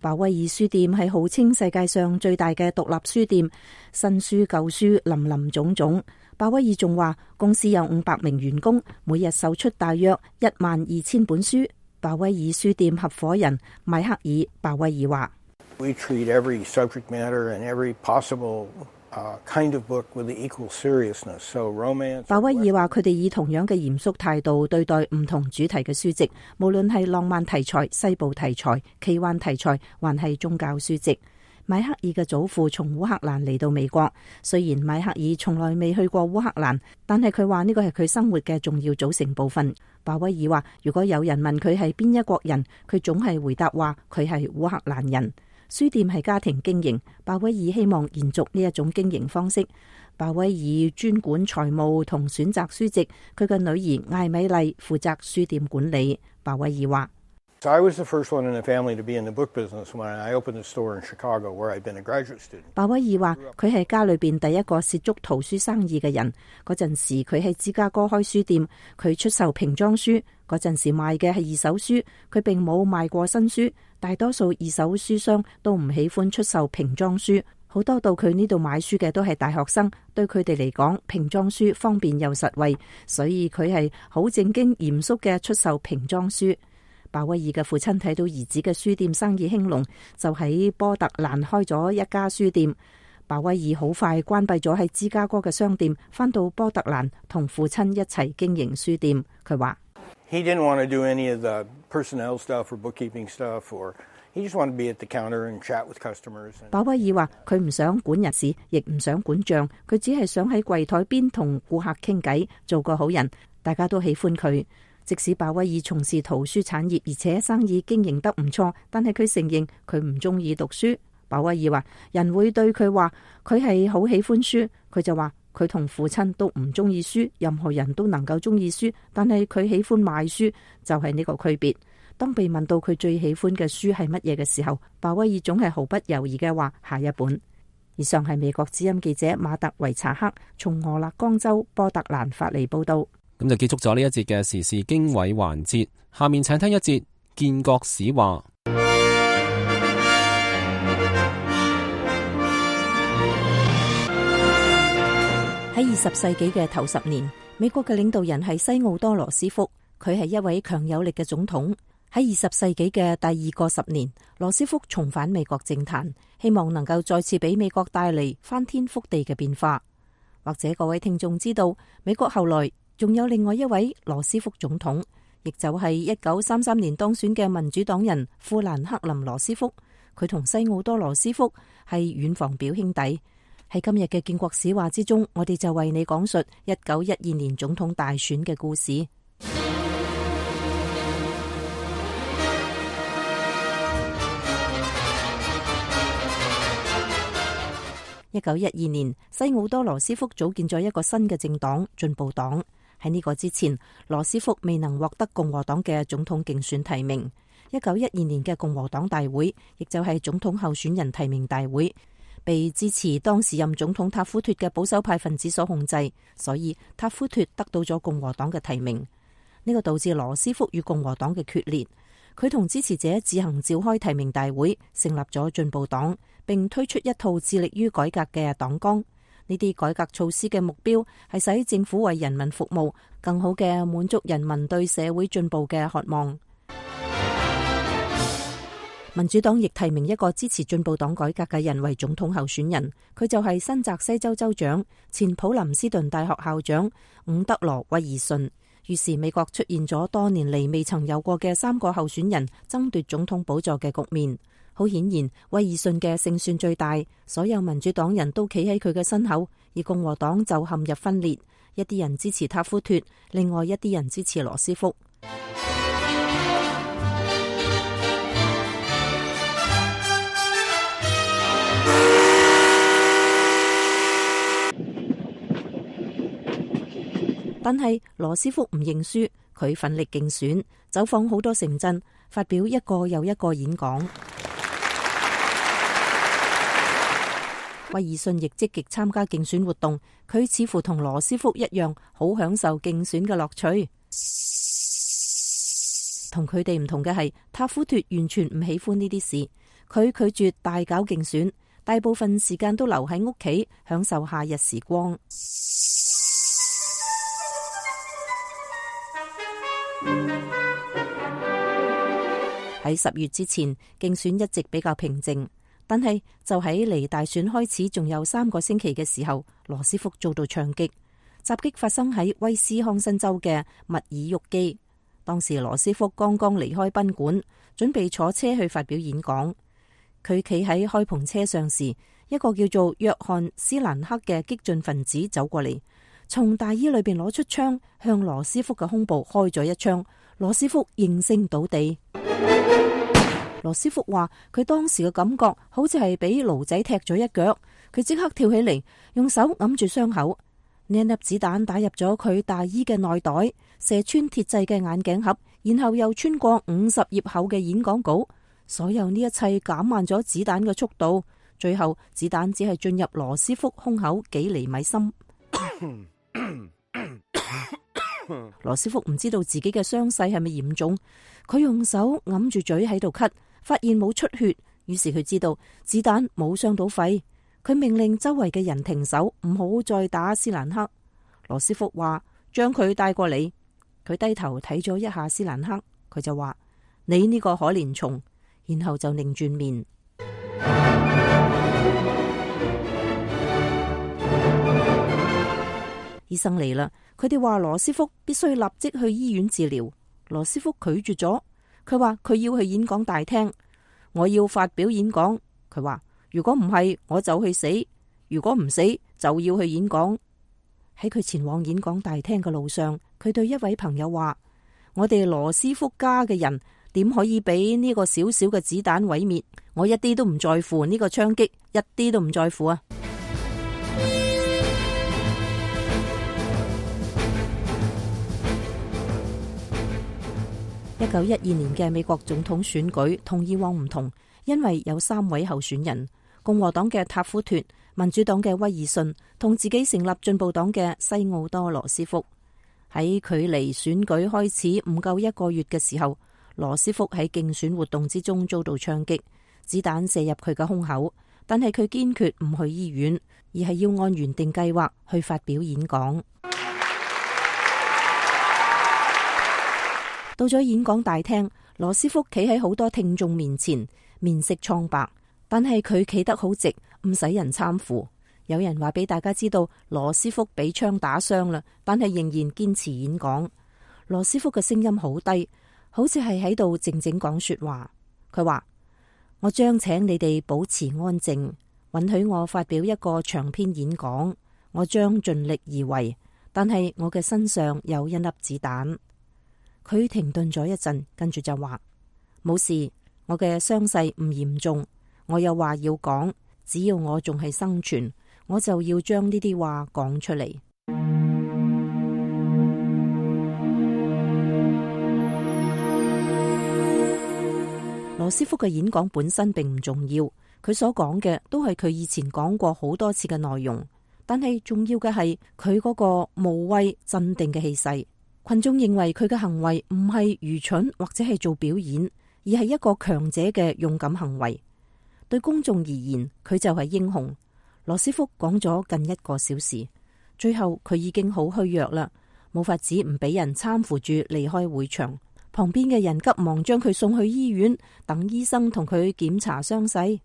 S6: 鮑威爾書店係號稱世界上最大嘅獨立書店，新書舊書林林總總。鮑威爾仲話公司有五百名員工，每日售出大約一萬二千本書。鮑威爾書店合夥人邁克爾鮑威爾話
S11: ：We treat every subject matter and every possible uh, kind of book with equal seriousness. So romance.
S6: 鮑威爾話佢哋以同樣嘅嚴肅態度對待唔同主題嘅書籍，無論係浪漫題材、西部題材、奇幻題材，還係宗教書籍。邁克爾嘅祖父從烏克蘭嚟到美國，雖然邁克爾從來未去過烏克蘭，但係佢話呢個係佢生活嘅重要組成部分。鮑威爾話，如果有人問佢係邊一國人，佢總係回答話佢係烏克蘭人。書店係家庭經營，鮑威爾希望延續呢一種經營方式。鮑威爾專管財務同選擇書籍，佢嘅女兒艾米麗負責書店管理。鮑威爾話
S11: So I was the first one in the family to be in the book business when I opened a store in Chicago, where I'd been a graduate student.
S6: 鮑威爾話佢係家裏邊第一個涉足圖書生意嘅人。嗰陣時佢喺芝加哥開書店，佢出售瓶裝書。嗰陣時賣嘅係二手書，佢並冇賣過新書。大多數二手書商都唔喜歡出售瓶裝書，好多到佢呢度買書嘅都係大學生，對佢哋嚟講瓶裝書方便又實惠，所以佢係好正經嚴肅嘅出售瓶裝書。鮑威爾嘅父親睇到兒子嘅書店生意興隆，就喺波特蘭開咗一家書店。鮑威爾好快關閉咗喺芝加哥嘅商店，返到波特蘭同父親一齊經營書店。佢話
S11: He didn't want to do any of the personnel stuff or bookkeeping stuff, or he just wanted to be at the counter and chat with customers.
S6: 鮑威爾話佢唔想管人事，亦唔想管賬，佢只係想喺櫃台邊同顧客傾偈，做個好人，大家都喜歡佢。即使鮑威爾從事圖書產業，而且生意經營得唔錯，但係佢承認佢唔中意讀書。鮑威爾話人會對佢話佢係好喜歡書，佢就話佢同父親都唔中意書，任何人都能夠中意書，但係佢喜歡買書，就係呢個區別。當被問到佢最喜歡嘅書係乜嘢嘅時候，鮑威爾總係毫不猶豫嘅話下一本。以上係美國之音記者馬特維查克從俄勒岡州波特蘭發嚟報道。
S2: 咁就結束咗呢一節嘅時事經緯環節，下面請聽一節建國史話。
S6: 喺二十世紀嘅頭十年，美國嘅領導人係西奧多羅斯福，佢係一位強有力嘅總統。喺二十世紀嘅第二個十年，羅斯福重返美國政壇，希望能夠再次俾美國帶嚟翻天覆地嘅變化。或者各位聽眾知道，美國後來仲有另外一位羅斯福總統，亦就係一九三三年當選嘅民主黨人富蘭克林羅斯福。佢同西奧多羅斯福係遠房表兄弟。喺今日嘅建國史話之中，我哋就為你講述一九一二年總統大選嘅故事。一九一二年，西奧多羅斯福組建咗一個新嘅政黨進步黨。喺呢個之前，羅斯福未能獲得共和黨嘅總統競選提名。一九一二年嘅共和黨大會，亦就係總統候選人提名大會，被支持當時任總統塔夫脫嘅保守派分子所控制，所以塔夫脫得到咗共和黨嘅提名。呢個導致羅斯福與共和黨嘅決裂。佢同支持者自行召開提名大會，成立咗進步黨，並推出一套致力於改革嘅黨綱。呢啲改革措施嘅目標係使政府為人民服務，更好嘅滿足人民對社會進步嘅渴望。民主黨亦提名一個支持進步黨改革嘅人為總統候選人，佢就係新澤西州州長、前普林斯頓大學校長伍德羅威爾遜。於是美國出現咗多年嚟未曾有過嘅三個候選人爭奪總統寶座嘅局面。好顯然，威爾遜嘅勝算最大，所有民主黨人都企喺佢嘅身後，而共和黨就陷入分裂，一啲人支持塔夫脫，另外一啲人支持羅斯福。但係羅斯福唔認輸，佢奮力競選，走訪好多城鎮，發表一個又一個演講。威爾遜亦積極參加競選活動，佢似乎同羅斯福一樣，好享受競選嘅樂趣。同佢哋唔同嘅係，塔夫脫完全唔喜歡呢啲事，佢拒絕大搞競選，大部分時間都留喺屋企享受夏日時光。喺十月之前，競選一直比較平靜，但係就喺離大選開始仲有三個星期嘅時候，羅斯福遭到槍擊。襲擊發生喺威斯康辛州嘅密爾沃基。當時羅斯福剛剛離開賓館，準備坐車去發表演講。佢企喺開篷車上時，一個叫做約翰斯蘭克嘅激進分子走過嚟，從大衣裏邊攞出槍，向羅斯福嘅胸部開咗一槍。羅斯福應聲倒地。羅斯福話佢當時嘅感覺好似係俾驢仔踢咗一腳，佢即刻跳起嚟，用手揞住傷口。呢一粒子彈打入咗佢大衣嘅內袋，射穿鐵製嘅眼鏡盒，然後又穿過五十頁厚嘅演講稿。所有呢一切減慢咗子彈嘅速度，最後子彈只係進入羅斯福胸口幾厘米深。羅斯福唔知道自己嘅傷勢係咪嚴重，佢用手揞住嘴喺度咳，發現冇出血，於是佢知道子彈冇傷到肺。佢命令周圍嘅人停手，唔好再打斯蘭克。羅斯福話將佢帶過嚟。佢低頭睇咗一下斯蘭克，佢就話你呢個可憐蟲，然後就擰轉面。醫生嚟啦，佢哋話羅斯福必須立即去醫院治療。羅斯福拒絕咗，佢話佢要去演講大廳，我要發表演講。佢話如果唔係我就去死，如果唔死就要去演講。喺佢前往演講大廳嘅路上，佢對一位朋友話：我哋羅斯福家嘅人點可以俾呢個小小嘅子彈毀滅？我一啲都唔在乎呢個槍擊，一啲都唔在乎啊！一九一二年嘅美國總統選舉同以往唔同，因為有三位候選人：共和黨嘅塔夫脫、民主黨嘅威爾遜同自己成立進步黨嘅西奧多羅斯福。喺距離選舉開始唔夠一個月嘅時候，羅斯福喺競選活動之中遭到槍擊，子彈射入佢嘅胸口，但係佢堅決唔去醫院，而係要按原定計劃去發表演講。到咗演講大廳，羅斯福企喺好多聽眾面前，面色蒼白，但係佢企得好直，唔使人攙扶。有人話俾大家知道羅斯福俾槍打傷啦，但係仍然堅持演講。羅斯福嘅聲音好低，好似係喺度靜靜講說話。佢話：我將請你哋保持安靜，允許我發表一個長篇演講。我將盡力而為，但係我嘅身上有一粒子彈。佢停頓咗一陣，跟住就話：冇事，我嘅傷勢唔嚴重。我有話要講，只要我仲係生存，我就要將呢啲話講出嚟。羅斯福嘅演講本身並唔重要，佢所講嘅都係佢以前講過好多次嘅內容，但係重要嘅係佢嗰個無畏鎮定嘅氣勢。群眾認為佢嘅行為唔係愚蠢或者係做表演，而係一個強者嘅勇敢行為。對公眾而言，佢就係英雄。羅斯福講咗近一個小時，最後佢已經好虛弱啦，冇法子唔俾人攙扶住離開會場。旁邊嘅人急忙將佢送去醫院，等醫生同佢檢查傷勢。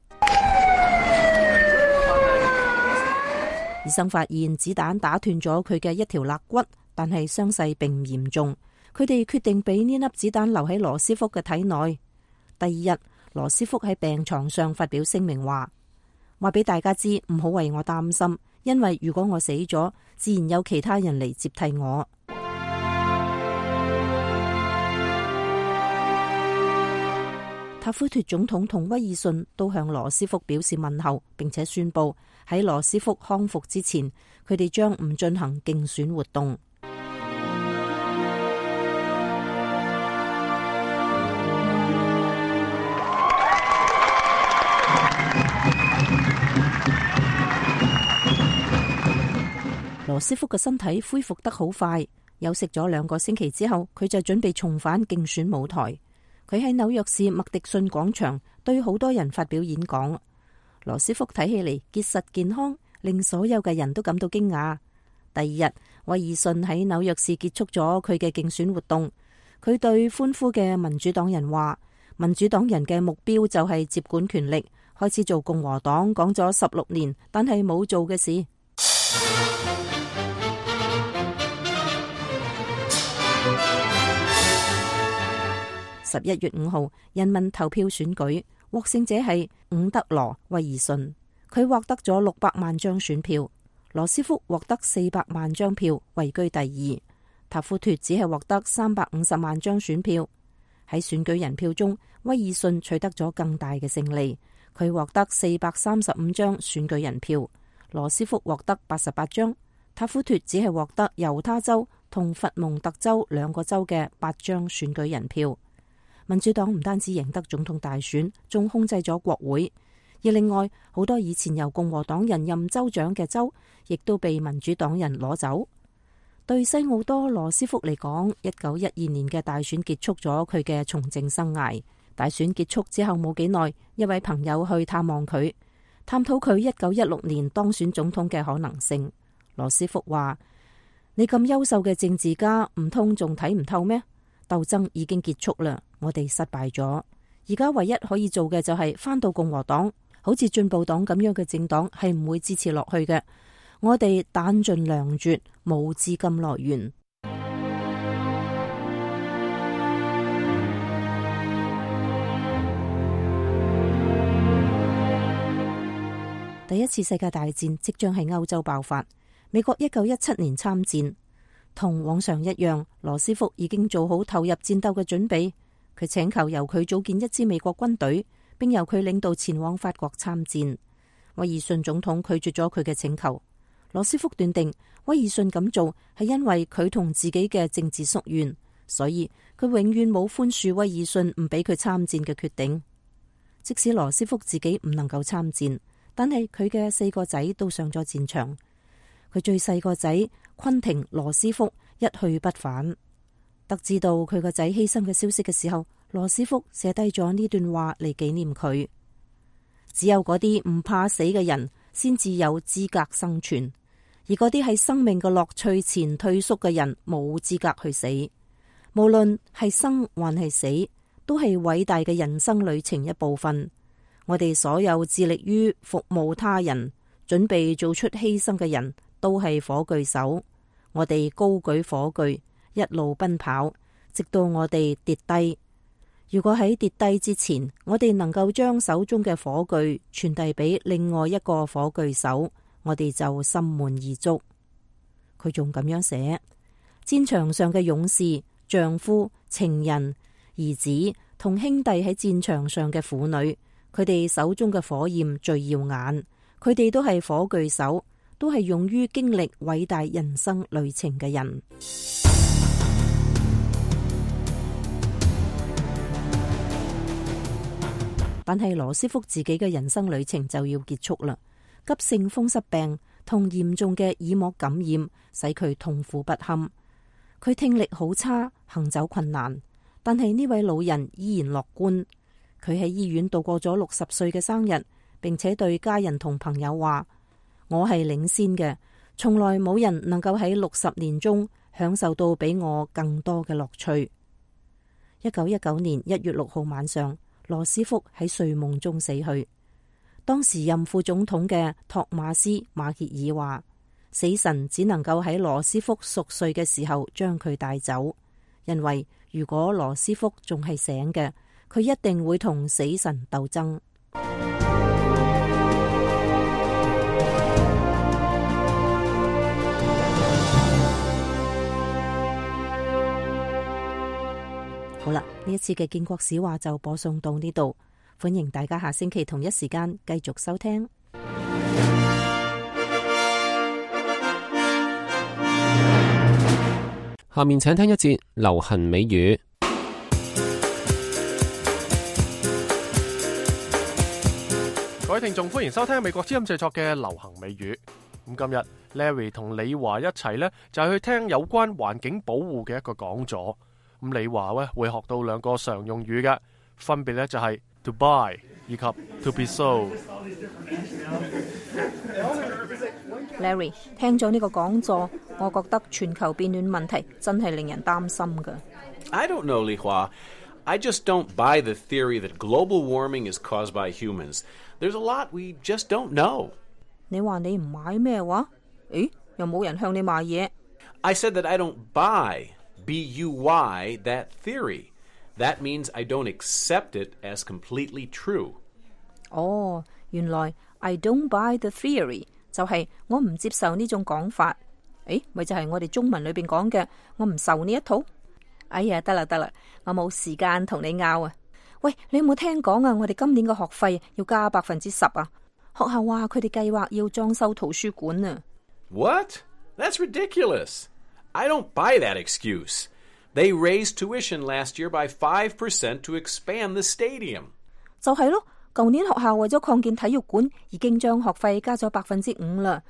S6: 醫生發現子彈打斷咗佢嘅一條肋骨，但係傷勢並唔嚴重。佢哋決定俾呢粒子彈留喺羅斯福嘅體內。第二日，羅斯福喺病床上發表聲明話：話俾大家知，唔好為我擔心，因為如果我死咗，自然有其他人嚟接替我。塔夫脫總統同威爾遜都向羅斯福表示問候，並且宣布喺羅斯福康復之前，佢哋將唔進行競選活動。羅斯福嘅身體恢復得好快，休息咗兩個星期之後，佢就準備重返競選舞台。佢喺紐約市麥迪遜廣場對好多人發表演講。羅斯福睇起嚟結實健康，令所有嘅人都感到驚訝。第二日，威爾遜喺紐約市結束咗佢嘅競選活動。佢對歡呼嘅民主黨人話：民主黨人嘅目標就係接管權力，開始做共和黨講咗十六年但係冇做嘅事。十一月五號，人民投票選舉，獲勝者係伍德羅·威爾遜，佢獲得咗六百萬張選票。羅斯福獲得四百萬張票，位居第二。塔夫脫只係獲得三百五十萬張選票。喺選舉人票中，威爾遜取得咗更大嘅勝利，佢獲得四百三十五張選舉人票。羅斯福獲得八十八張，塔夫脫只係獲得猶他州同佛蒙特州兩個州嘅八張選舉人票。民主黨唔單止贏得總統大選，仲控制咗國會。而另外好多以前由共和黨人任州長嘅州，亦都被民主黨人攞走。對西奧多·羅斯福嚟講，一九一二年嘅大選結束咗佢嘅從政生涯。大選結束之後冇幾耐，一位朋友去探望佢，探討佢一九一六年當選總統嘅可能性。羅斯福話：你咁優秀嘅政治家，唔通仲睇唔透咩？鬥爭已經結束啦，我哋失敗咗。而家唯一可以做嘅就係返到共和黨，好似進步黨咁樣嘅政黨係唔會支持落去嘅。我哋彈盡糧絕，冇資金來源。第一次世界大戰即將喺歐洲爆發。美國一九一七年參戰。同往常一樣，羅斯福已經做好投入戰鬥嘅準備。佢請求由佢組建一支美國軍隊，並由佢領導前往法國參戰。威爾遜總統拒絕咗佢嘅請求。羅斯福斷定威爾遜咁做係因為佢同自己嘅政治宿怨，所以佢永遠冇寬恕威爾遜唔俾佢參戰嘅決定。即使羅斯福自己唔能夠參戰，但係佢嘅四個仔都上咗戰場。佢最細個仔昆廷羅斯福一去不返。得知到佢個仔犧牲嘅消息嘅時候，羅斯福寫低咗呢段話嚟紀念佢。只有嗰啲唔怕死嘅人先至有資格生存，而嗰啲喺生命嘅樂趣前退縮嘅人冇資格去死。無論係生還係死，都係偉大嘅人生旅程一部分。我哋所有致力於服務他人、準備做出犧牲嘅人，都係火炬手。我哋高舉火炬，一路奔跑，直到我哋跌低。如果喺跌低之前，我哋能夠將手中嘅火炬傳遞俾另外一個火炬手，我哋就心滿意足。佢仲咁樣寫：戰場上嘅勇士、丈夫、情人、兒子同兄弟喺戰場上嘅婦女，佢哋手中嘅火焰最耀眼。佢哋都係火炬手，都係勇於經歷偉大人生旅程嘅人。但係羅斯福自己嘅人生旅程就要結束啦。急性風濕病同嚴重嘅耳膜感染使佢痛苦不堪，佢聽力好差，行走困難。但係呢位老人依然樂觀。佢喺醫院度過咗六十歲嘅生日，並且對家人同朋友話：我係領先嘅，從來冇人能夠喺六十年中享受到比我更多嘅樂趣。一九一九年一月六號晚上，羅斯福喺睡夢中死去。當時任副總統嘅托馬斯馬歇爾話：死神只能夠喺羅斯福熟睡嘅時候將佢帶走，因為如果羅斯福仲係醒嘅，佢一定會同死神鬥爭。好啦，呢一次嘅建國史話就播送到呢度，歡迎大家下星期同一時間繼續收聽。
S2: 下面請聽一節流行美語。
S1: 各位聽眾，歡迎收聽美國之音製作嘅流行美語。咁今日 Larry 同李華一齊呢，就係去聽有關環境保護嘅一個講座。咁李華咧會學到兩個常用語嘅，分別咧就係 to buy 以及 to be sold。
S6: Larry 聽咗呢個講座，我覺得全球變暖問題真係令人擔心㗎。
S12: I don't know, Li Hua. I just don't buy the theory that global warming is caused by humans. There's a lot we just don't know.
S6: 你話你唔買咩話？誒，又冇人向你賣嘢。
S12: I said that I don't buy B U Y that theory. That means I don't accept it as completely true.
S6: 哦，原來 I don't buy the theory 就係我唔接受呢種講法。誒，咪就係我哋中文裏邊講嘅，我唔受呢一套。哎呀，得啦得啦，我冇時間同你拗啊。喂，你有冇聽講啊？我哋今年嘅學費要加百分之十啊！學校話佢哋計劃要裝修圖書館啊。
S12: What? That's ridiculous. I don't buy that excuse. They raised tuition last year by five percent to expand the stadium.
S6: 就係咯，舊年學校為咗擴建體育館，已經將學費加咗百分之五啦。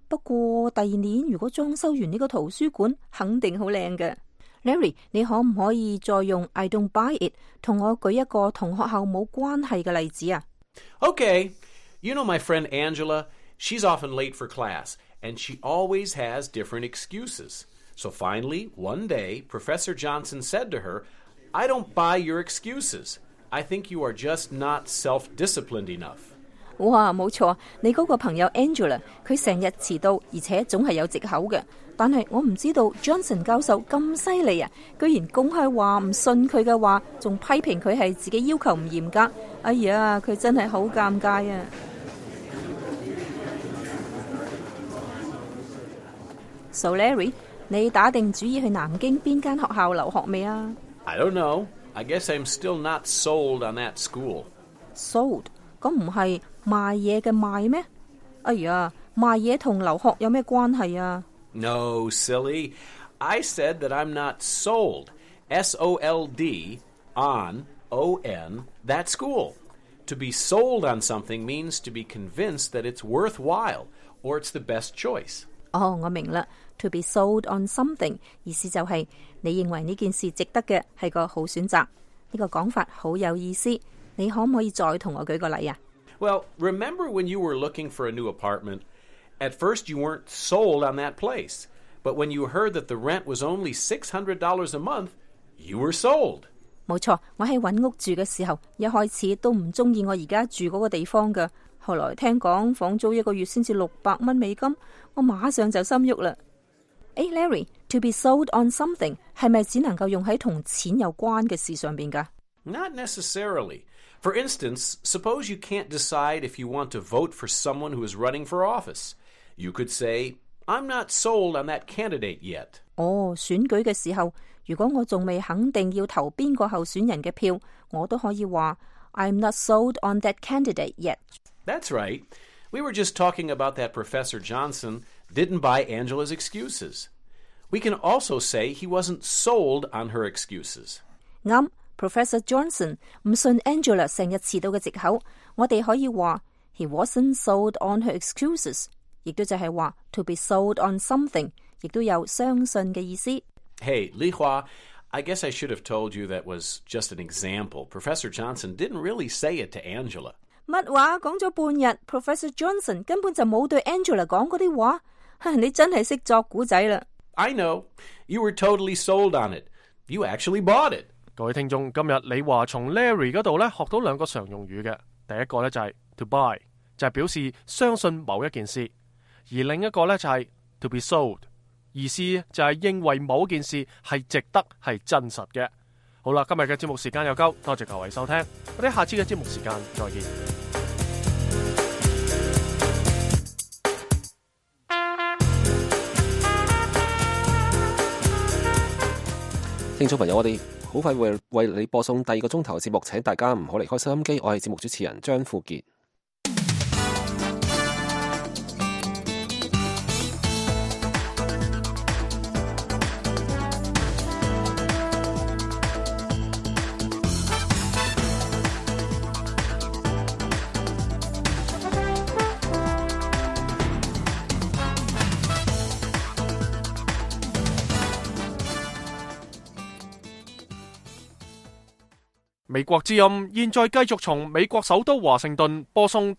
S6: 不過第二年如果裝修完呢個圖書館，肯定好靚嘅。Larry， 你可唔可以再用 I don't buy it 同我舉一個同學校冇關係嘅例子啊？
S12: Okay. You know my friend Angela? She's often late for class, and she always has different excuses. So finally, one day, Professor Johnson said to her, I don't buy your excuses. I think you are just not self-disciplined enough.
S6: 哇，冇錯，你嗰個朋友 Angela， 佢成日遲到，而且總係有藉口嘅。但係我唔知道 Johnson 教授咁犀利啊，居然公開話唔信佢嘅話，仲批評佢係自己要求唔嚴格。哎呀，佢真係好尷尬啊！So Larry， 你打定主意去南京邊間學校留學未啊？
S12: I don't know. I guess I'm still not sold on that school.
S6: Sold？ 咁唔係賣嘢嘅賣咩？哎呀，賣嘢同留學有咩關係啊？
S12: No, silly. I said that I'm not sold. S O L D on O N that school. To be sold on something means to be convinced that it's worthwhile or it's the best choice.
S6: 哦，我明啦。To be sold on something 意思就係你認為呢件事值得嘅係個好選擇。呢個講法好有意思。你可唔可以再同我舉個例啊？
S12: Well, remember when you were looking for a new apartment? At first you weren't sold on that place. But when you heard that the rent was only six hundred dollars a month, you were sold.
S6: 冇錯，我喺揾屋住嘅時候，一開始都唔中意我而家住嗰個地方㗎。後來聽講房租一個月先至六百蚊美金，我馬上就心喐啦。誒 Larry， to be sold on something 係咪只能夠用喺同錢有關嘅事上邊㗎？
S12: Not necessarily. For instance, suppose you can't decide if you want to vote for someone who is running for office. You could say, I'm not sold on that candidate yet.
S6: 哦，選舉嘅時候，如果我仲未肯定要投邊個候選人嘅票，我都可以話 I'm not sold on that candidate yet.
S12: That's right. We were just talking about that Professor Johnson didn't buy Angela's excuses. We can also say he wasn't sold on her excuses.
S6: 啱 Professor Johnson 唔信 Angela 成日遲到嘅藉口，我哋可以話 He wasn't sold on her excuses， 亦都就係話 to be sold on something， 亦都有相信嘅意思。
S12: Hey, Li Hua, I guess I should have told you that was just an example. Professor Johnson didn't really say it to Angela.
S6: 乜話？講咗半日 Professor Johnson 根本就冇對 Angela 講嗰啲話，你真係識作古仔啦。
S12: I know. You were totally sold on it. You actually bought it.
S1: 各位聽眾，今日李華從 Larry 嗰度咧學到兩個常用語嘅，第一個咧就係 to buy， 就係表示相信某一件事，而另一個咧就係 to be sold， 意思就係認為某件事係值得係真實嘅。好啦，今日嘅節目時間又夠，多謝各位收聽，我哋下次嘅節目時間再見。
S2: 聽眾朋友，我哋好快會為你播送第二個鐘頭嘅節目，請大家唔好離開收音機。我係節目主持人張富傑。
S1: 美國之音現在繼續從美國首都華盛頓播送